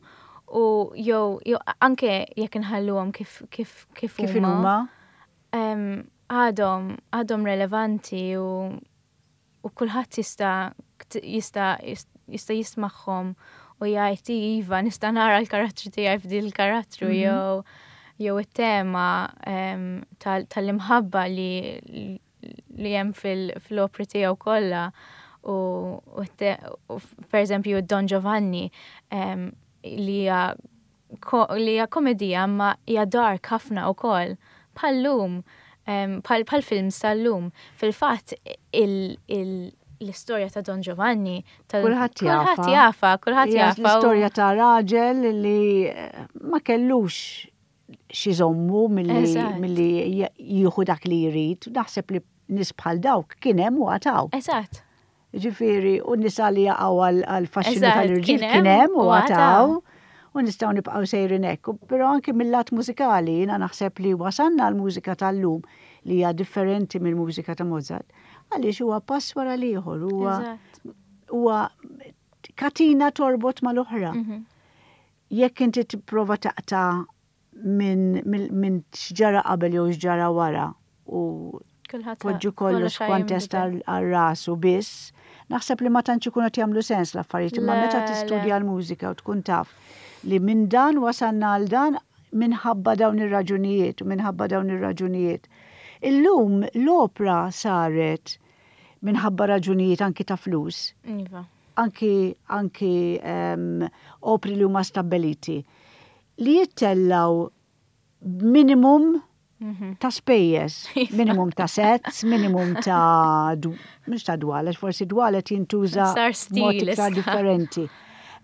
u jew jew anke jekk inħalluhom kif kif kif Kif huma huma? em, għadhom għadhom relevanti u u kulħadd jista' jista' jista' jismagħhom u jgħid, "Iva, nista' nara l-karattru tiegħi f'din il-karattru" Mhm. jew jew it-tema em, tal- tal-imħabba li li hemm fil- fil-opri tiegħu kollha u, u, te- u per eżempju Don Giovanni em, li hija ko- li hija komedija ma hija dark ħafna wkoll bħal-lum, em, bħal bħal films tal-lum. Fil-fatt il- il- l-istorja ta' Don Giovanni tal- Kulħadd jafha. Kulħadd jafha, kulħadd Hija jafha. u- l-istorja ta' raġel li eh, ma kellux x'iżommu milli Eżatt. milli jieħu dak li jrid. Naħseb li nies bħal dawk kien hemm u għad hawn. Eżatt. Ġifieri, u nisa li jaqgħu għal faxxinu Eżatt, tal-irġiel kien kien hemm u u għad hawn. għad hawn. U nistgħu nibqgħu sejrin hekk. U Però anki mill-lat mużikali, jiena naħseb li wasanna l-mużika tal-lum li hija differenti mill-mużika ta' Mozart. Għaliex huwa pass wara l-ieħor, huwa Eżatt. huwa katina torbot mal-oħra. Mhm. Jekk inti tipprova taqta' minn min, min x'ġara qabel jew x'ġara wara u Kulħadd poġġu kollox ħa kontest jinbidel. għal rasu biss, naħseb li ma tantx ikunu qed jagħmlu sens l-affarijiet, imma Le, meta le. tistudja l-mużika u tkun taf li minn dan wasalna għal dan minħabba dawn ir-raġunijiet u minħabba dawn ir-raġunijiet. Illum l-opra saret minħabba raġunijiet anki ta' flus, Iva. anki anki um, opri li huma stabbiliti li jittellaw minimum Mhm. ta' spejjeż, minimum ta' sets, minimum ta' du- mhux ta' dwal, għax forsi dwal qed jintuża Sar mod stil iktar issa. differenti.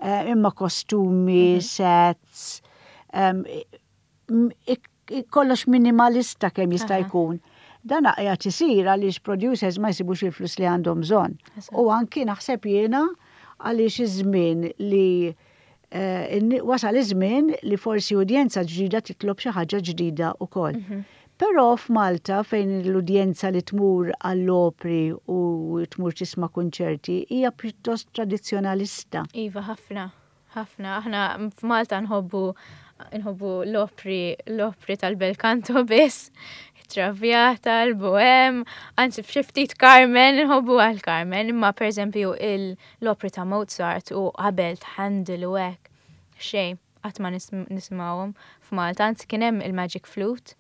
Eh, imma kostumi, sets, em, m- ik- ik- kollox minimalista kemm jista' Aha. jkun. Dan qiegħed isir għaliex producers ma jsibux il-flus li għandhom bżonn. Eżatt. U anki naħseb jiena għaliex iż-żmien li eh, inni- wasal iż-żmien li forsi udjenza ġdida titlob xi ħaġa ġdida wkoll. Però f'Malta, fejn l-udjenza li tmur għall-opri u tmur tisma' kunċerti hija pjuttost tradizzjonalista. Iva, ħafna, ħafna. Aħna f'Malta nħobbu nħobbu l-opri, l-opri tal-bel canto biss, Traviata, l-Bohem, anzi f'xi ftit Carmen, nħobbu għal Carmen, imma per eżempju l-opri ta' Mozart u qabel ta' Handel u hekk, xejn, qatt ma nis- nisimgħuhom f'Malta, anzi kien hemm il-Magic Flute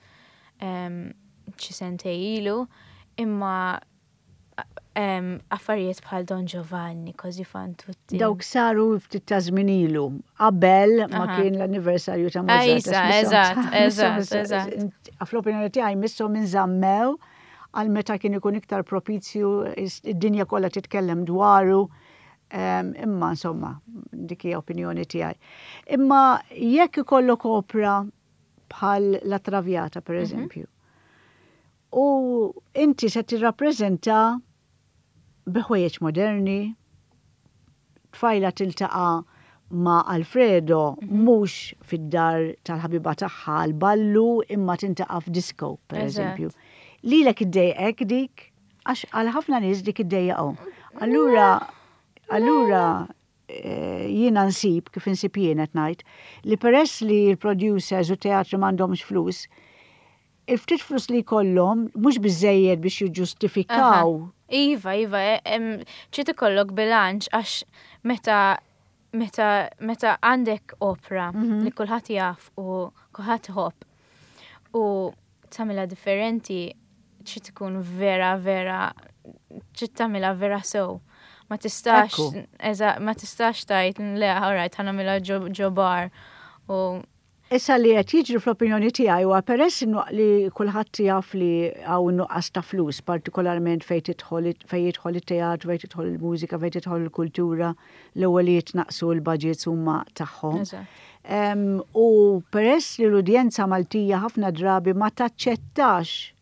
em, xi sentej ilu, imma em, affarijiet bħal Don Giovanni, Così fan tutte. Dawk saru ftit ta' żmien ilu, qabel ma Aha. kien l-anniversarju ta' Mozart. Ejsa, għax eżatt, misshom- eżatt, misshom- eżatt. Fl-opinjoni tiegħi misshom inżammew għal meta kien ikun iktar propizju, is- id-dinja kollha titkellem dwaru. Em, Imma insomma, dik hija opinjoni tiegħi. Imma jekk ikollok opra bħal La Traviata, per eżempju, u inti se tirrappreżenta bi ħwejjeġ moderni, tfajla tiltaqa' ma' Alfredo mhux fid-dar tal-ħabiba tagħha għal-ballu imma tiltaqa' f'disco, per Eżatt. eżempju. Lilek iddejqek dik, għax għal ħafna nies dik iddejjaqhom. Allura, allura eh, jiena nsib, kif insib jiena qed ngħid, li peress li l-producers u teatri m'għandhomx flus, il-ftit flus li jkollhom mhux biżejjed biex jiġġustifikaw. Iva, iva, e- em, trid ikollok bilanċ għax meta meta meta għandek opra Mhm. li kulħadd jaf u kulħadd iħobb. U tagħmilha differenti trid tkun vera vera trid tagħmilha vera sew. Ma tistax, Ekku. eża, ma tistax tgħid le, alright, ħa nagħmilha ġo ġo bar. U Issa li qed jiġri fl-opinjoni tiegħi huwa peress innu li kulħadd jaf li hawn nuqqas ta' flus, partikolarment fejn tidħol fejn jidħol it-teatru, fejn tidħol il-mużika, fejn tidħol il-kultura, l-ewwel li jitnaqsu l-budgets huma tagħhom. Eżatt. Em, U peress li l-udjenza Maltija ħafna drabi ma taċċettax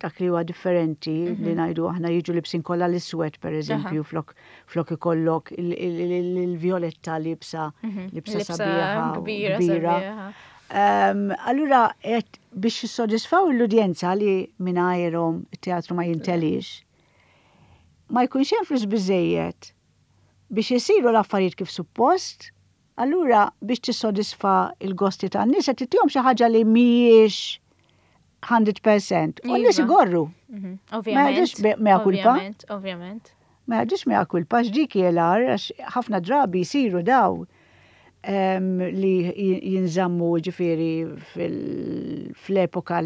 dak li huwa differenti li ngħidu aħna jiġu libsin kollha l-iswed per eżempju flok flok ikollok il- il- il- il-violetta libsa libsa Libsa sabiħa u kbira, kbira. sabiħa. Um, allura, et biex jissodisfaw l-udjenza li mingħajrhom it-teatru ma jintelix, ma jkunx hemm flus biżejjed biex isiru l-affarijiet kif suppost, allura biex tissodisfa il-gosti tan-nies qed tittihom xi ħaġa li mhijiex mija fil-mija. U n-nies Iva. igorru. Mhm. Ma Ovvjament. jgħidux be- mea culpa. Ovvjament, ovvjament. Ma jgħidux mea culpa x'dik jelar, għax ħafna drabi jisiru daw em, li jinżammu ġifieri fl-epoka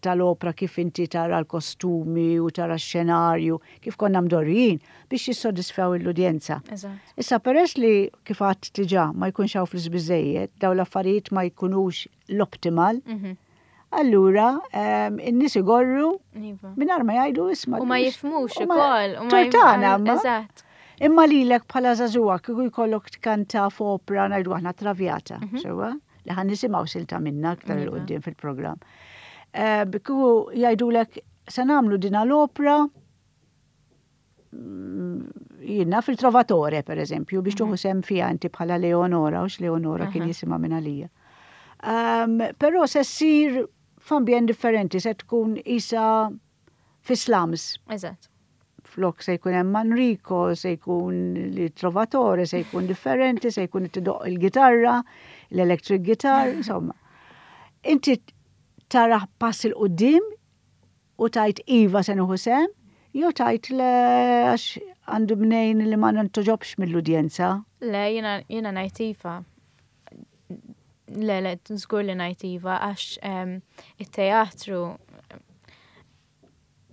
tal-opra kif inti tara l-kostumi u tara x-xenarju, kif konna mdorrijin biex jissodisfaw l-udjenza. Issa peress li kif għedt diġà ma jkunx hawn flus biżejjed, daw l-affarijiet ma jkunux l-optimal, mhm. Allura, in-nies igorru Iva. mingħajr ma jgħidu isma'. U ma jifhmux ukoll. Tort tagħna, ma. Eżatt. Imma lilek bħala żagħżugħa kieku jkollok tkanta f'opra ngħidu aħna Traviata, mhm. sewwa? Li ħa nisimgħu silta minna aktar 'il quddiem fil-programm. Eh, kieku jgħidulek se nagħmlu dina l-opra mm, jiena fil-Trovatore, per eżempju, biex tuħu mhm. sehem fija inti bħala Leonora, u Leonora kien jisimha minn għalija. Um, Però se ssir f'ambjent differenti, se tkun isa fi slums. Eżatt. Flok se jkun hemm Manrico, se jkun li Trovatore, se jkun differenti, se jkun tidoq il-gitarra, l-electric guitar, insomma. Inti tara pass 'il quddiem u tgħid iva se nieħu sehem, jew tgħid le għax għandu mnejn li ma nintogħġobx mill-udjenza. Le, jiena jiena ngħid iva. Le, le, żgur li ngħid iva, għax it-teatru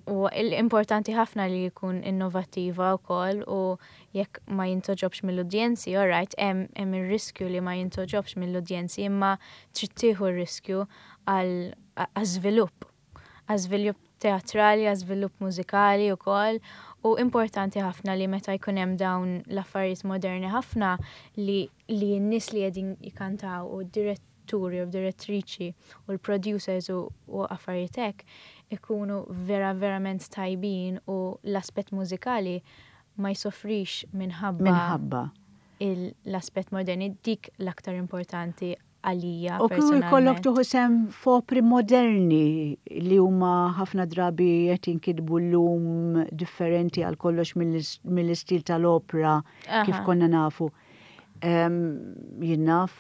u l-importanti ħafna li jkun innovativa u koll u jekk ma jintogħġobx mill-udjenzi, all right, hemm ir-riskju li ma jintogħġobx mill-udjenzi, imma trid tieħu r-riskju għal żvilupp, għal żvilupp teatrali, għal żvilupp mużikali u koll, u importanti ħafna li meta jkun hemm dawn l-affarijiet moderni ħafna li li n-nies li qegħdin jkantaw u diretturi u direttriċi u l-producers u, u affarijiet hekk ikunu vera verament tajbin u l-aspett mużikali ma jsofrix minħabba Minħabba. l-aspett moderni dik l-aktar importanti għalija. U kieku jkollok tieħu sehem f'opri moderni li huma ħafna drabi qed jinkitbu llum differenti għal kollox mill-istil tal-opra kif konna nafu. Jien naf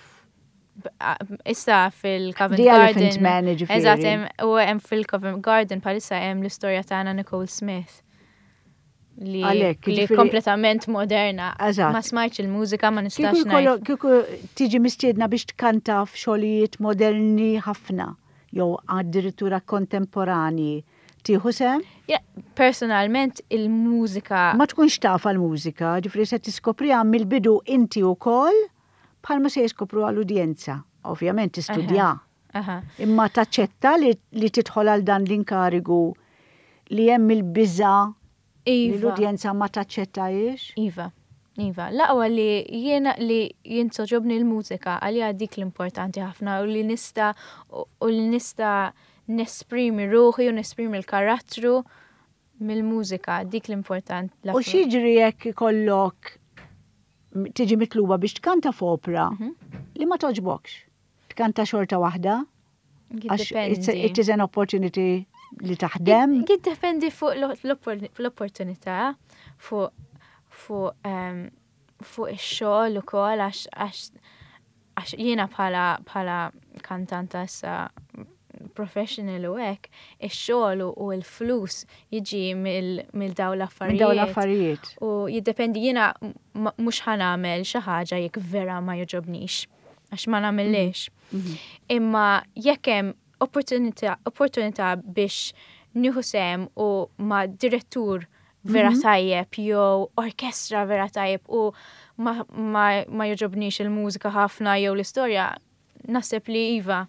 Issa fil-Covent The Garden. Elephant Man, ġifieri. Eżatt, u hemm fil-Covent Garden bħalissa hemm l-istorja ta' Anna Nicole Smith. Li, Għalhekk, li ġifieri- kompletament moderna. Eżatt. Ma smajtx il-mużika, ma nistax Kieku jkollok- ngħid. kieku tiġi mistiedna biex tkanta f'xogħlijiet moderni ħafna jew addirittura kontemporani. Tieħu sehem? Ja, personalment il-mużika Ma tkunx taf l-mużika, ġifieri se tiskopriha mill-bidu inti wkoll bħalma se jiskopru għall-udjenza. Ovvjament tistudja. Aha. Imma taċċetta li, li tidħol għal dan l-inkarigu li hemm il-biża li Iva. l-udjenza ma taċċettajiex. Iva, Iva. L-aqwa li jiena li jintogħġobni l-mużika għalija dik l-importanti ħafna u li nista u li nista nesprimi ruħi u nesprimi l-karattru mill-mużika, dik l-important. U x'jiġri jekk ikollok tiġi mitluba biex tkanta f'opra Mhm. li ma togħġbokx. Tkanta xorta waħda, għax it's a- it is an opportunity li taħdem. Jiddependi fuq l-opportunità, fuq fuq em, fuq ix-xogħol ukoll għax għax għax jiena bħala bħala kantanta issa professional u hekk, ix-xogħol u u l-flus jiġi mill dawn Minn l-affarijiet. dawn l-affarijiet. U jiddependi jiena m- mhux ħa nagħmel xi ħaġa jekk vera ma jogħġobnix għax ma nagħmilx. Imma jekk hemm opportunità opportunità biex nieħu sehem u ma' direttur vera mm -hmm. tajjeb jew orkestra vera tajjeb u ma, ma, ma jogħġobnix il-mużika ħafna jew l-istorja, naħseb li iva.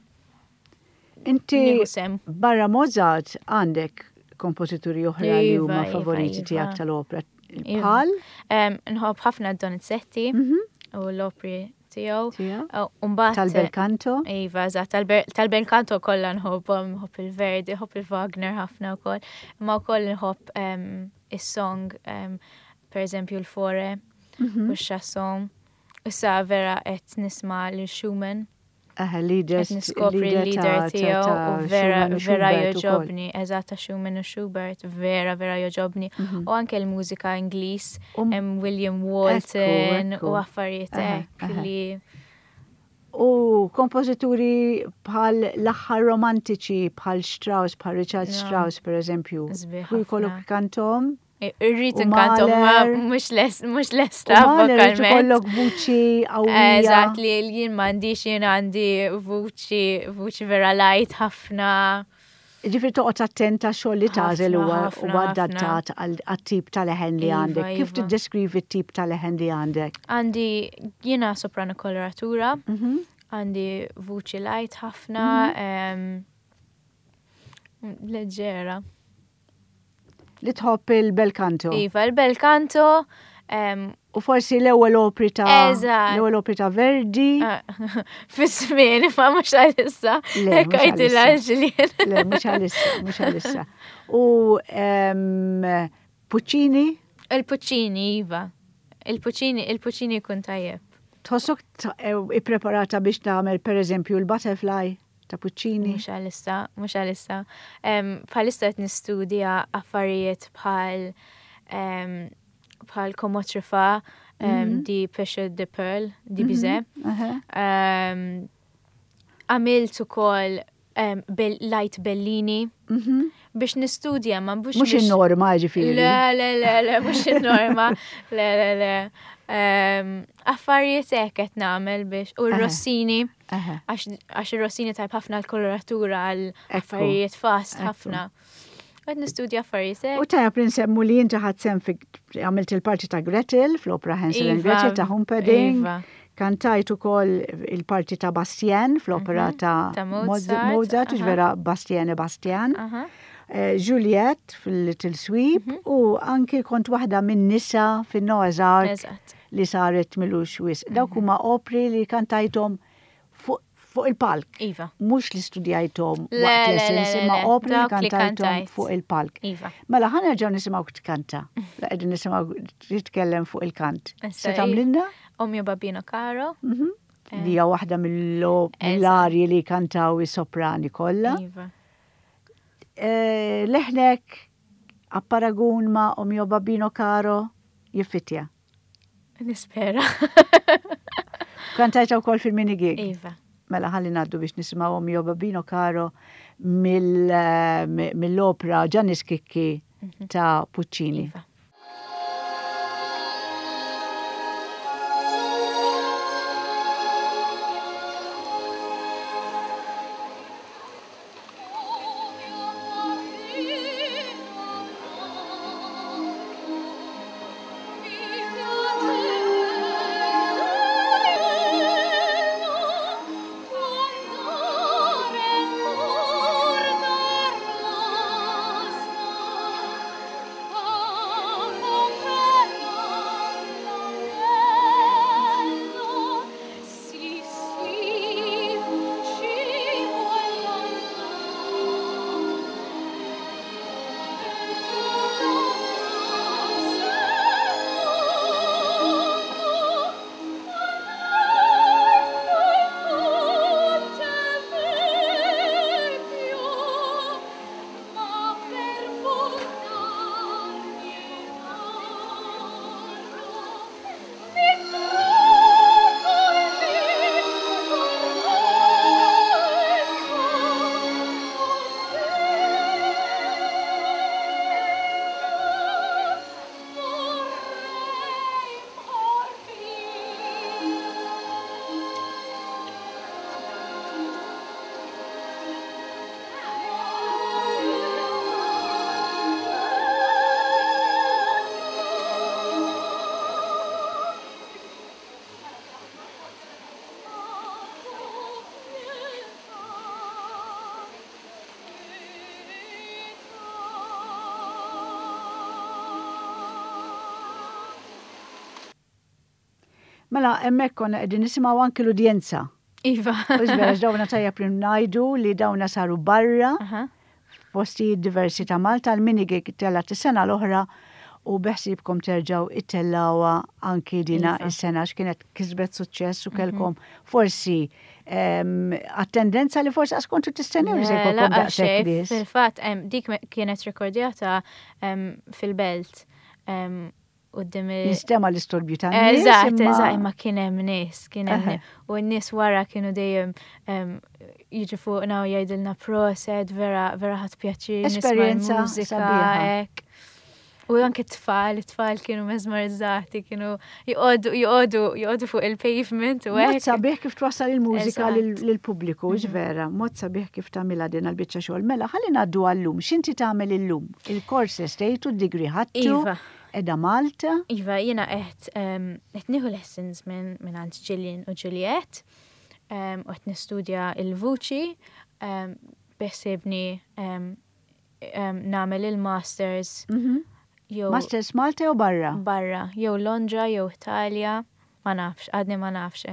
Inti barra Mozart għandek kompożituri oħra li huma iva, favoriti iva. tiegħek tal-opera. Bħal? Nħobb ħafna Donizetti mm -hmm. u l-opri tiegħu. Umbagħad tal-bel canto? Iva, eżatt, tal-bel canto kollha nħobbhom, nħobb il-Verdi, nħobb il-Wagner ħafna wkoll. Imma wkoll nħobb is-song, per eżempju l-Fauré u x-Chausson. Issa vera qed nisma' lil Schumann. Aha, leaders. Niskopri l-leader tiegħu u vera vera jogħġobni, eżatt ta' Schumann u Schubert, vera vera jogħġobni. U anke l-mużika Ingliż, hemm William Walton u affarijiet hekk li U kompożituri bħal l-aħħar romantiċi bħal Strauss, bħal Richard Strauss per eżempju. Ku jkollok kantom? Irrid inkantom ma mhux mhux lesta vokalment. Ikollok vuċi qawwija. Eżatt li jien m'għandix jien għandi vuċi vuċi vera light ħafna. Ġifieri toqgħod attenta xogħol li tagħżel huwa huwa adattat għat-tip ta' leħen li għandek. Kif tiddeskrivi t-tip ta' leħen li għandek? Għandi jiena soprano koloratura, għandi vuċi light ħafna, leġġera. Li tħobb il-bel canto. Iva, il-bel canto. U forsi l-ewwel opri ta' l-ewwel opri ta' Verdi. Fis-żmien, ma mhux għalissa. Le, mhux Le, mhux għalissa, mhux għalissa. U Puccini? Il-Puccini, iva. Il-Puccini, il-Puccini jkun tajjeb. Tħossok ippreparata biex tagħmel pereżempju l-Butterfly ta' Puccini? Mhux għalissa, mhux għalissa. Bħalissa qed nistudja affarijiet bħal bħal Comment Truffat, di Pêcheur de Perles, di Bizet. Għamilt ukoll Light Bellini biex nistudja ma mhux Mhux in-norma ġifieri. Le, le, le, le, mhux in-norma. Le, le, le. Affarijiet hekk qed nagħmel biex u r-Rossini għax ir-Rossini tajb ħafna l-koloratura għal affarijiet fast ħafna. Qed nistudja affarijiet hekk. U tajjeb li nsemmu li inti ħadt sehem għamilt il-parti ta' Gretel fl-opera Hansel and Gretel ta' Humperdinck. Kantajt ukoll il-parti ta' Bastien fl-opera ta' Mozart, vera Bastien e Bastien. Juliet fil-Little Sweep u anki kont waħda minn nisa fin-Noah's Ark li saret milux wisq. Dawk huma opri li kantajthom fuq il-palk. Iva. Mhux li studjajthom waqt lessons, imma opri li kantajthom fuq il-palk. Iva. Mela ħa nerġgħu nisimgħu tkanta. La qegħdin nisimgħu titkellem fuq il-kant. Se tagħmlilna? O mio babbino caro. Li hija waħda mill-arji li kantaw is-soprani kollha. Iva. Leħnek apparagun ma' O mio babbino caro jiffitja. Nispera. Kantajta wkoll fil-mini gig. Iva. Mela ħalli ngħaddu biex nisimgħu O mio babbino caro mill-opera Gianni Schicchi ta' Puccini. Iva. Oh. Mela, hemmhekk konna qegħdin nisimgħu anki l-udjenza. Iva. Vera, dawna tajjeb li ngħidu li dawna saru barra, postijiet diversi ta' Malta, l-minigig telgħet is-sena l-oħra u beħsibkom terġaw ittellgħuha anki dina Iva. is-sena x'kienet kisbet suċċess u kellkom forsi attendenza li forsi għax kontu tistennew li se jkollkom daqshekk nies. Fil-fatt, dik kienet rekordjata fil-belt quddiem Jinstema' l-istorbju ta' nies. Eżatt, eżatt, imma kien hemm nies, kien hemm u n-nies wara kienu dejjem jiġu fuqna u jgħidilna proset, vera vera ħadt pjaċir. Esperjenza sabiħa. U anke t-tfal, it-tfal kienu mesmerizzati, kienu joqogħdu joqogħdu joqogħdu fuq il-pavement u Mod sabiħ kif twassal il-mużika lill-pubbliku, vera, mod sabiħ kif tagħmilha din għal-biċċa xogħol. Mela, ħalli ngħaddu għallum, x'inti tagħmel illum? Il-kors estejtu, d-degree ħadtu, Iva. qiegħda Malta. Iva, jiena qed qed nieħu lessons minn minn għand Gillian u Juliet u qed nistudja il-vuċi beħsiebni nagħmel il-masters jew Masters Malta jew barra? Barra, jew Londra, jew Italja, ma nafx, għadni ma nafx,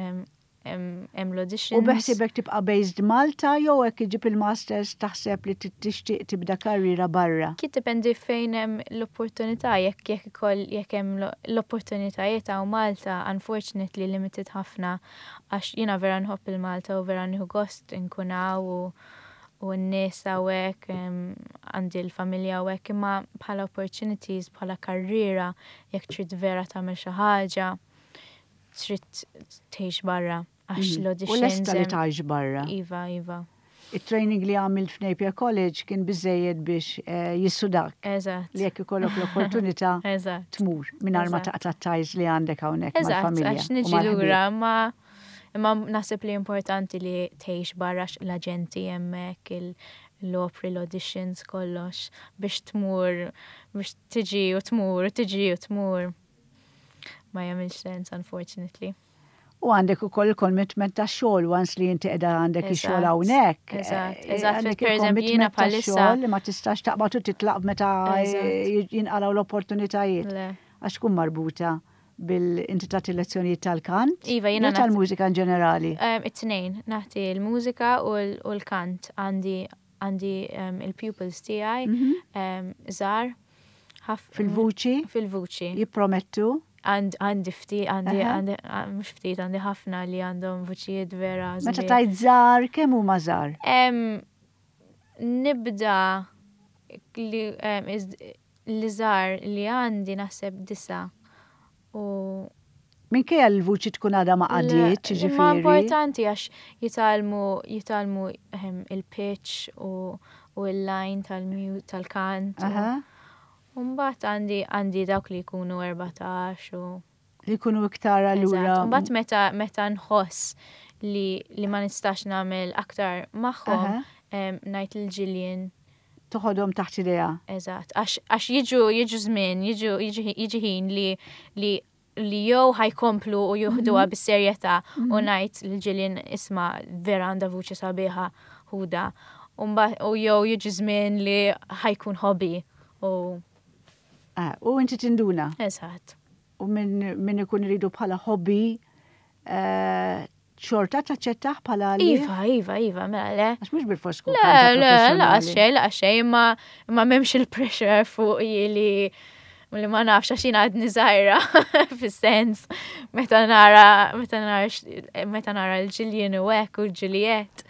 hemm l-auditions. U beħsibek tibqa' based Malta jew hekk iġib il-masters taħseb li tixtieq tibda karriera barra? Jiddependi fejn hemm l-opportunità, jekk jekk ikoll jekk hemm l-opportunitajiet hawn Malta, unfortunately limited ħafna għax jiena vera nħobb il-Malta u vera nieħu gost inkun hawn u u n-nies hawnhekk għandi l-familja hawnhekk imma bħala opportunities, bħala karriera, jekk trid vera tagħmel xi ħaġa, trid tgħix barra għax Mhm. l-auditions. U lesta li tgħix barra. Iva, iva. Il-training li għamilt f'Napier College kien biżejjed biex eh, jissudak. Eżatt. Li jekk ikollok l-opportunità Eżatt. tmur mingħajr ma Eżatt. taqta' ties li għandek hawnhekk Eżatt, mal-familja. għax u niġi mal-ħbieb. lura, ma imma naħseb li importanti li tgħix barra l-aġenti hemmhekk, l-opri, l-auditions, kollox, biex tmur, biex tiġi u tmur, tiġi u tmur. Ma jagħmilx sens, unfortunately. U għandek ukoll il-commitment ta' xogħol once li inti qiegħda għandek ix-xogħol hawnhekk. Eżatt, eh, eżatt. Għandek Per eżempju, jiena il-commitment ta' bħalissa xogħol li ma tistax taqbad u titlaq meta Eżatt. eh, jinqalgħu l-opportunitajiet. Le. Għax tkun marbuta bil inti tagħti lezzjonijiet tal-kant. Iva, jiena jew tal-mużika in ġenerali. Um, It-tnejn, nagħti l-mużika u l- u l-kant. Għandi għandi um, il-pupils tiegħi Mhm. um, żgħar. ħaf- Fil-vuċi? Fil-vuċi. Jippromettu? Għand- Għandi ftit, għandi, Aha. għandi, ah, mhux ftit, għandi ħafna li għandhom vuċijiet vera. Meta sbieħ. tajt żgħar, kemm huma żgħar? Em, nibda li, em, iż- li żgħar li għandi naħseb disa u Minkejja l-vuċi tkun għadha ma qadietx, Le, ġifieri. Ma importanti għax jitgħallmu jitgħallmu ehm, il-pitch u, u il-line tal-mu- tal-kant. u- Aha. U mbagħad għandi għandi dawk li jkunu erbatax u Li jkunu iktar allura. Eżatt. Mbagħad meta meta nħoss li li ma nistax nagħmel aktar magħhom Aha. em, ngħid lil Gillian Toħodhom taħt idea. Eżatt, għax għax jiġu jiġu żmien, jiġu jiġi jiġi ħin li li li jew ħa jkomplu u juħduha Mhm. bis-serjetà u Mhm. ngħid lil Gillian isma' vera għandha vuċi sabiħa ħuda. U mbagħad- u jew jiġi żmien li ħa jkun hobby u Ah, U inti tinduna. Eżatt. U minn min ikun iridu bħala hobby, eh, xorta taċċettaħ bħala li? Iva, iva, iva, mela le. Għax mhux bil-fors tkun Le, kanta le, la professjonali. xejn, la xejn, imma imma m'hemmx il-pressure fuq li li ma nafx għax jiena għadni żgħira fis-sens meta nara meta nara x- meta nara l-Gillian u hekk u l-Juliet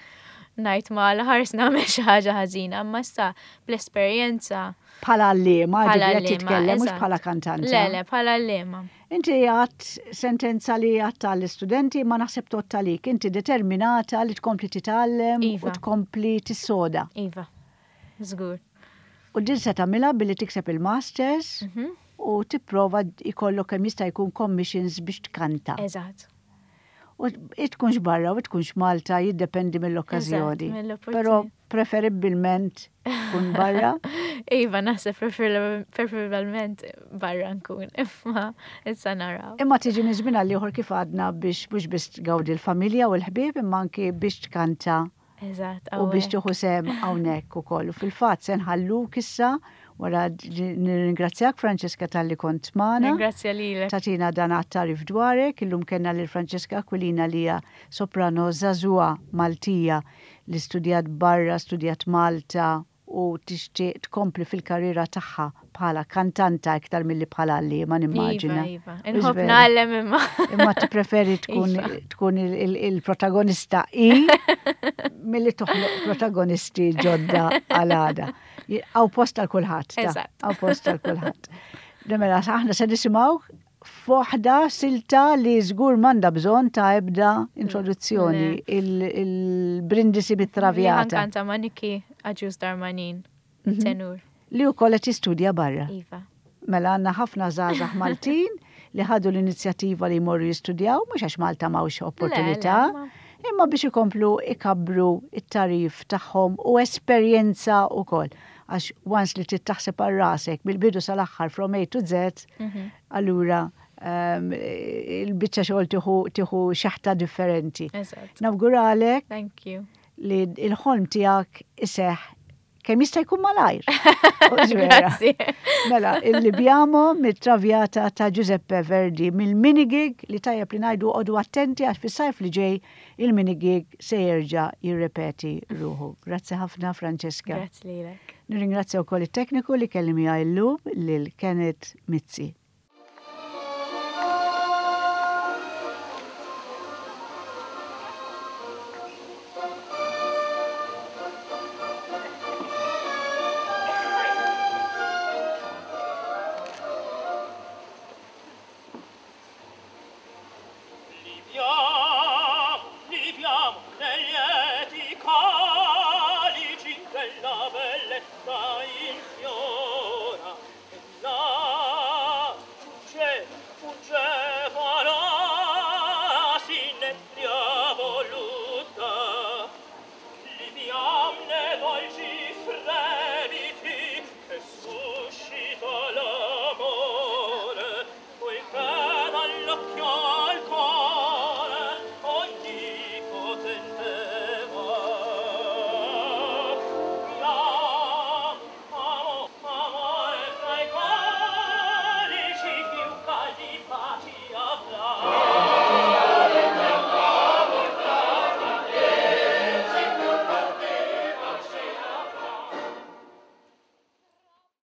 ngħid ma l-ħars nagħmel xi ħaġa ħażina, imma issa bl-esperjenza Bħala għalliema, Bħala ġifieri qed għalliema, titkellem mhux eżatt. bħala kantanta. Le, le, bħala għalliema. Inti għat sentenza li għat għall-istudenti ma naħseb tgħodd għalik. Inti determinata li tkompli titgħallem u Iva. tkompli tissoda. Iva, żgur. U din se tagħmilha billi tikseb il-masters Mhm. u tipprova ikollok kemm jista' jkun commissions biex tkanta. Eżatt. U tkunx barra u tkunx Malta jiddependi mill-okkażjoni. Eżatt, mill-opportunità. Però preferibbilment tkun barra. Iva, naħseb prefer- preferibilment barra nkun, imma issa naraw. Imma tiġi minn żmien għal ieħor kif għadna biex mhux biss tgawdi l-familja u l-ħbieb imma anki biex tkanta Eżatt, u biex hawnhekk. tieħu sehem hawnhekk ukoll. U fil-fatt se nħalluk issa Wara nirringrazzjak, Francesca, talli kont magħna. Ringrazzja lilek. Tajtna dan it-tagħrif dwarek. Illum kellna lil Francesca Aquilina, li hija soprano żagħżugħa Maltija li studjat barra, studjat Malta u tixtieq tkompli fil-karriera tagħha bħala kantanta iktar milli bħala għalliema, nimmaġina. Iva, iva. Inħobb ngħallem imma. Imma tippreferi tkun Iva. tkun il-protagonista i milli toħloq protagonisti ġodda għal għada. Hawn post għal kulħadd. Eżatt. Hawn post għal kulħadd. Mela, aħna se nisimgħu f'waħda silta li żgur m'għandha bżonn ta' ebda introduzzjoni, il-Brindisi bit-Traviata. Kanta ma' Niki Agius Darmanin, Mhm. tenur. Li wkoll qed jistudja barra. Iva. Mela għandna ħafna żgħażagħ Maltin li ħadu l-inizjattiva li jmorru jistudjaw, mhux għax Malta m'hawnx opportunità, Le, le, imma biex ikomplu ikabbru it-tagħrif tagħhom u esperjenza wkoll. Għax once li trid taħseb għal rasek mill-bidu sal-aħħar, from A to Z, Mhm. allura um, il-biċċa xogħol tieħu tieħu xeħta differenti. Eżatt. Nawguralek Thank you. li il-ħolm tiegħek iseħ kemm jista' jkun malajr. Grazzi. Mela, il-Libiamo mit-Traviata ta' Giuseppe Verdi, mill-minigig li tajjeb li ngħidu, oqogħdu attenti għax fis-sajf li ġej il-minigig se jerġa' jirrepeti ruħu. Grazzi ħafna, Francesca. Grazzi lilek. Nirringrazzja wkoll it-tekniku li kelli miegħi llum, lil Kenneth Mizzi.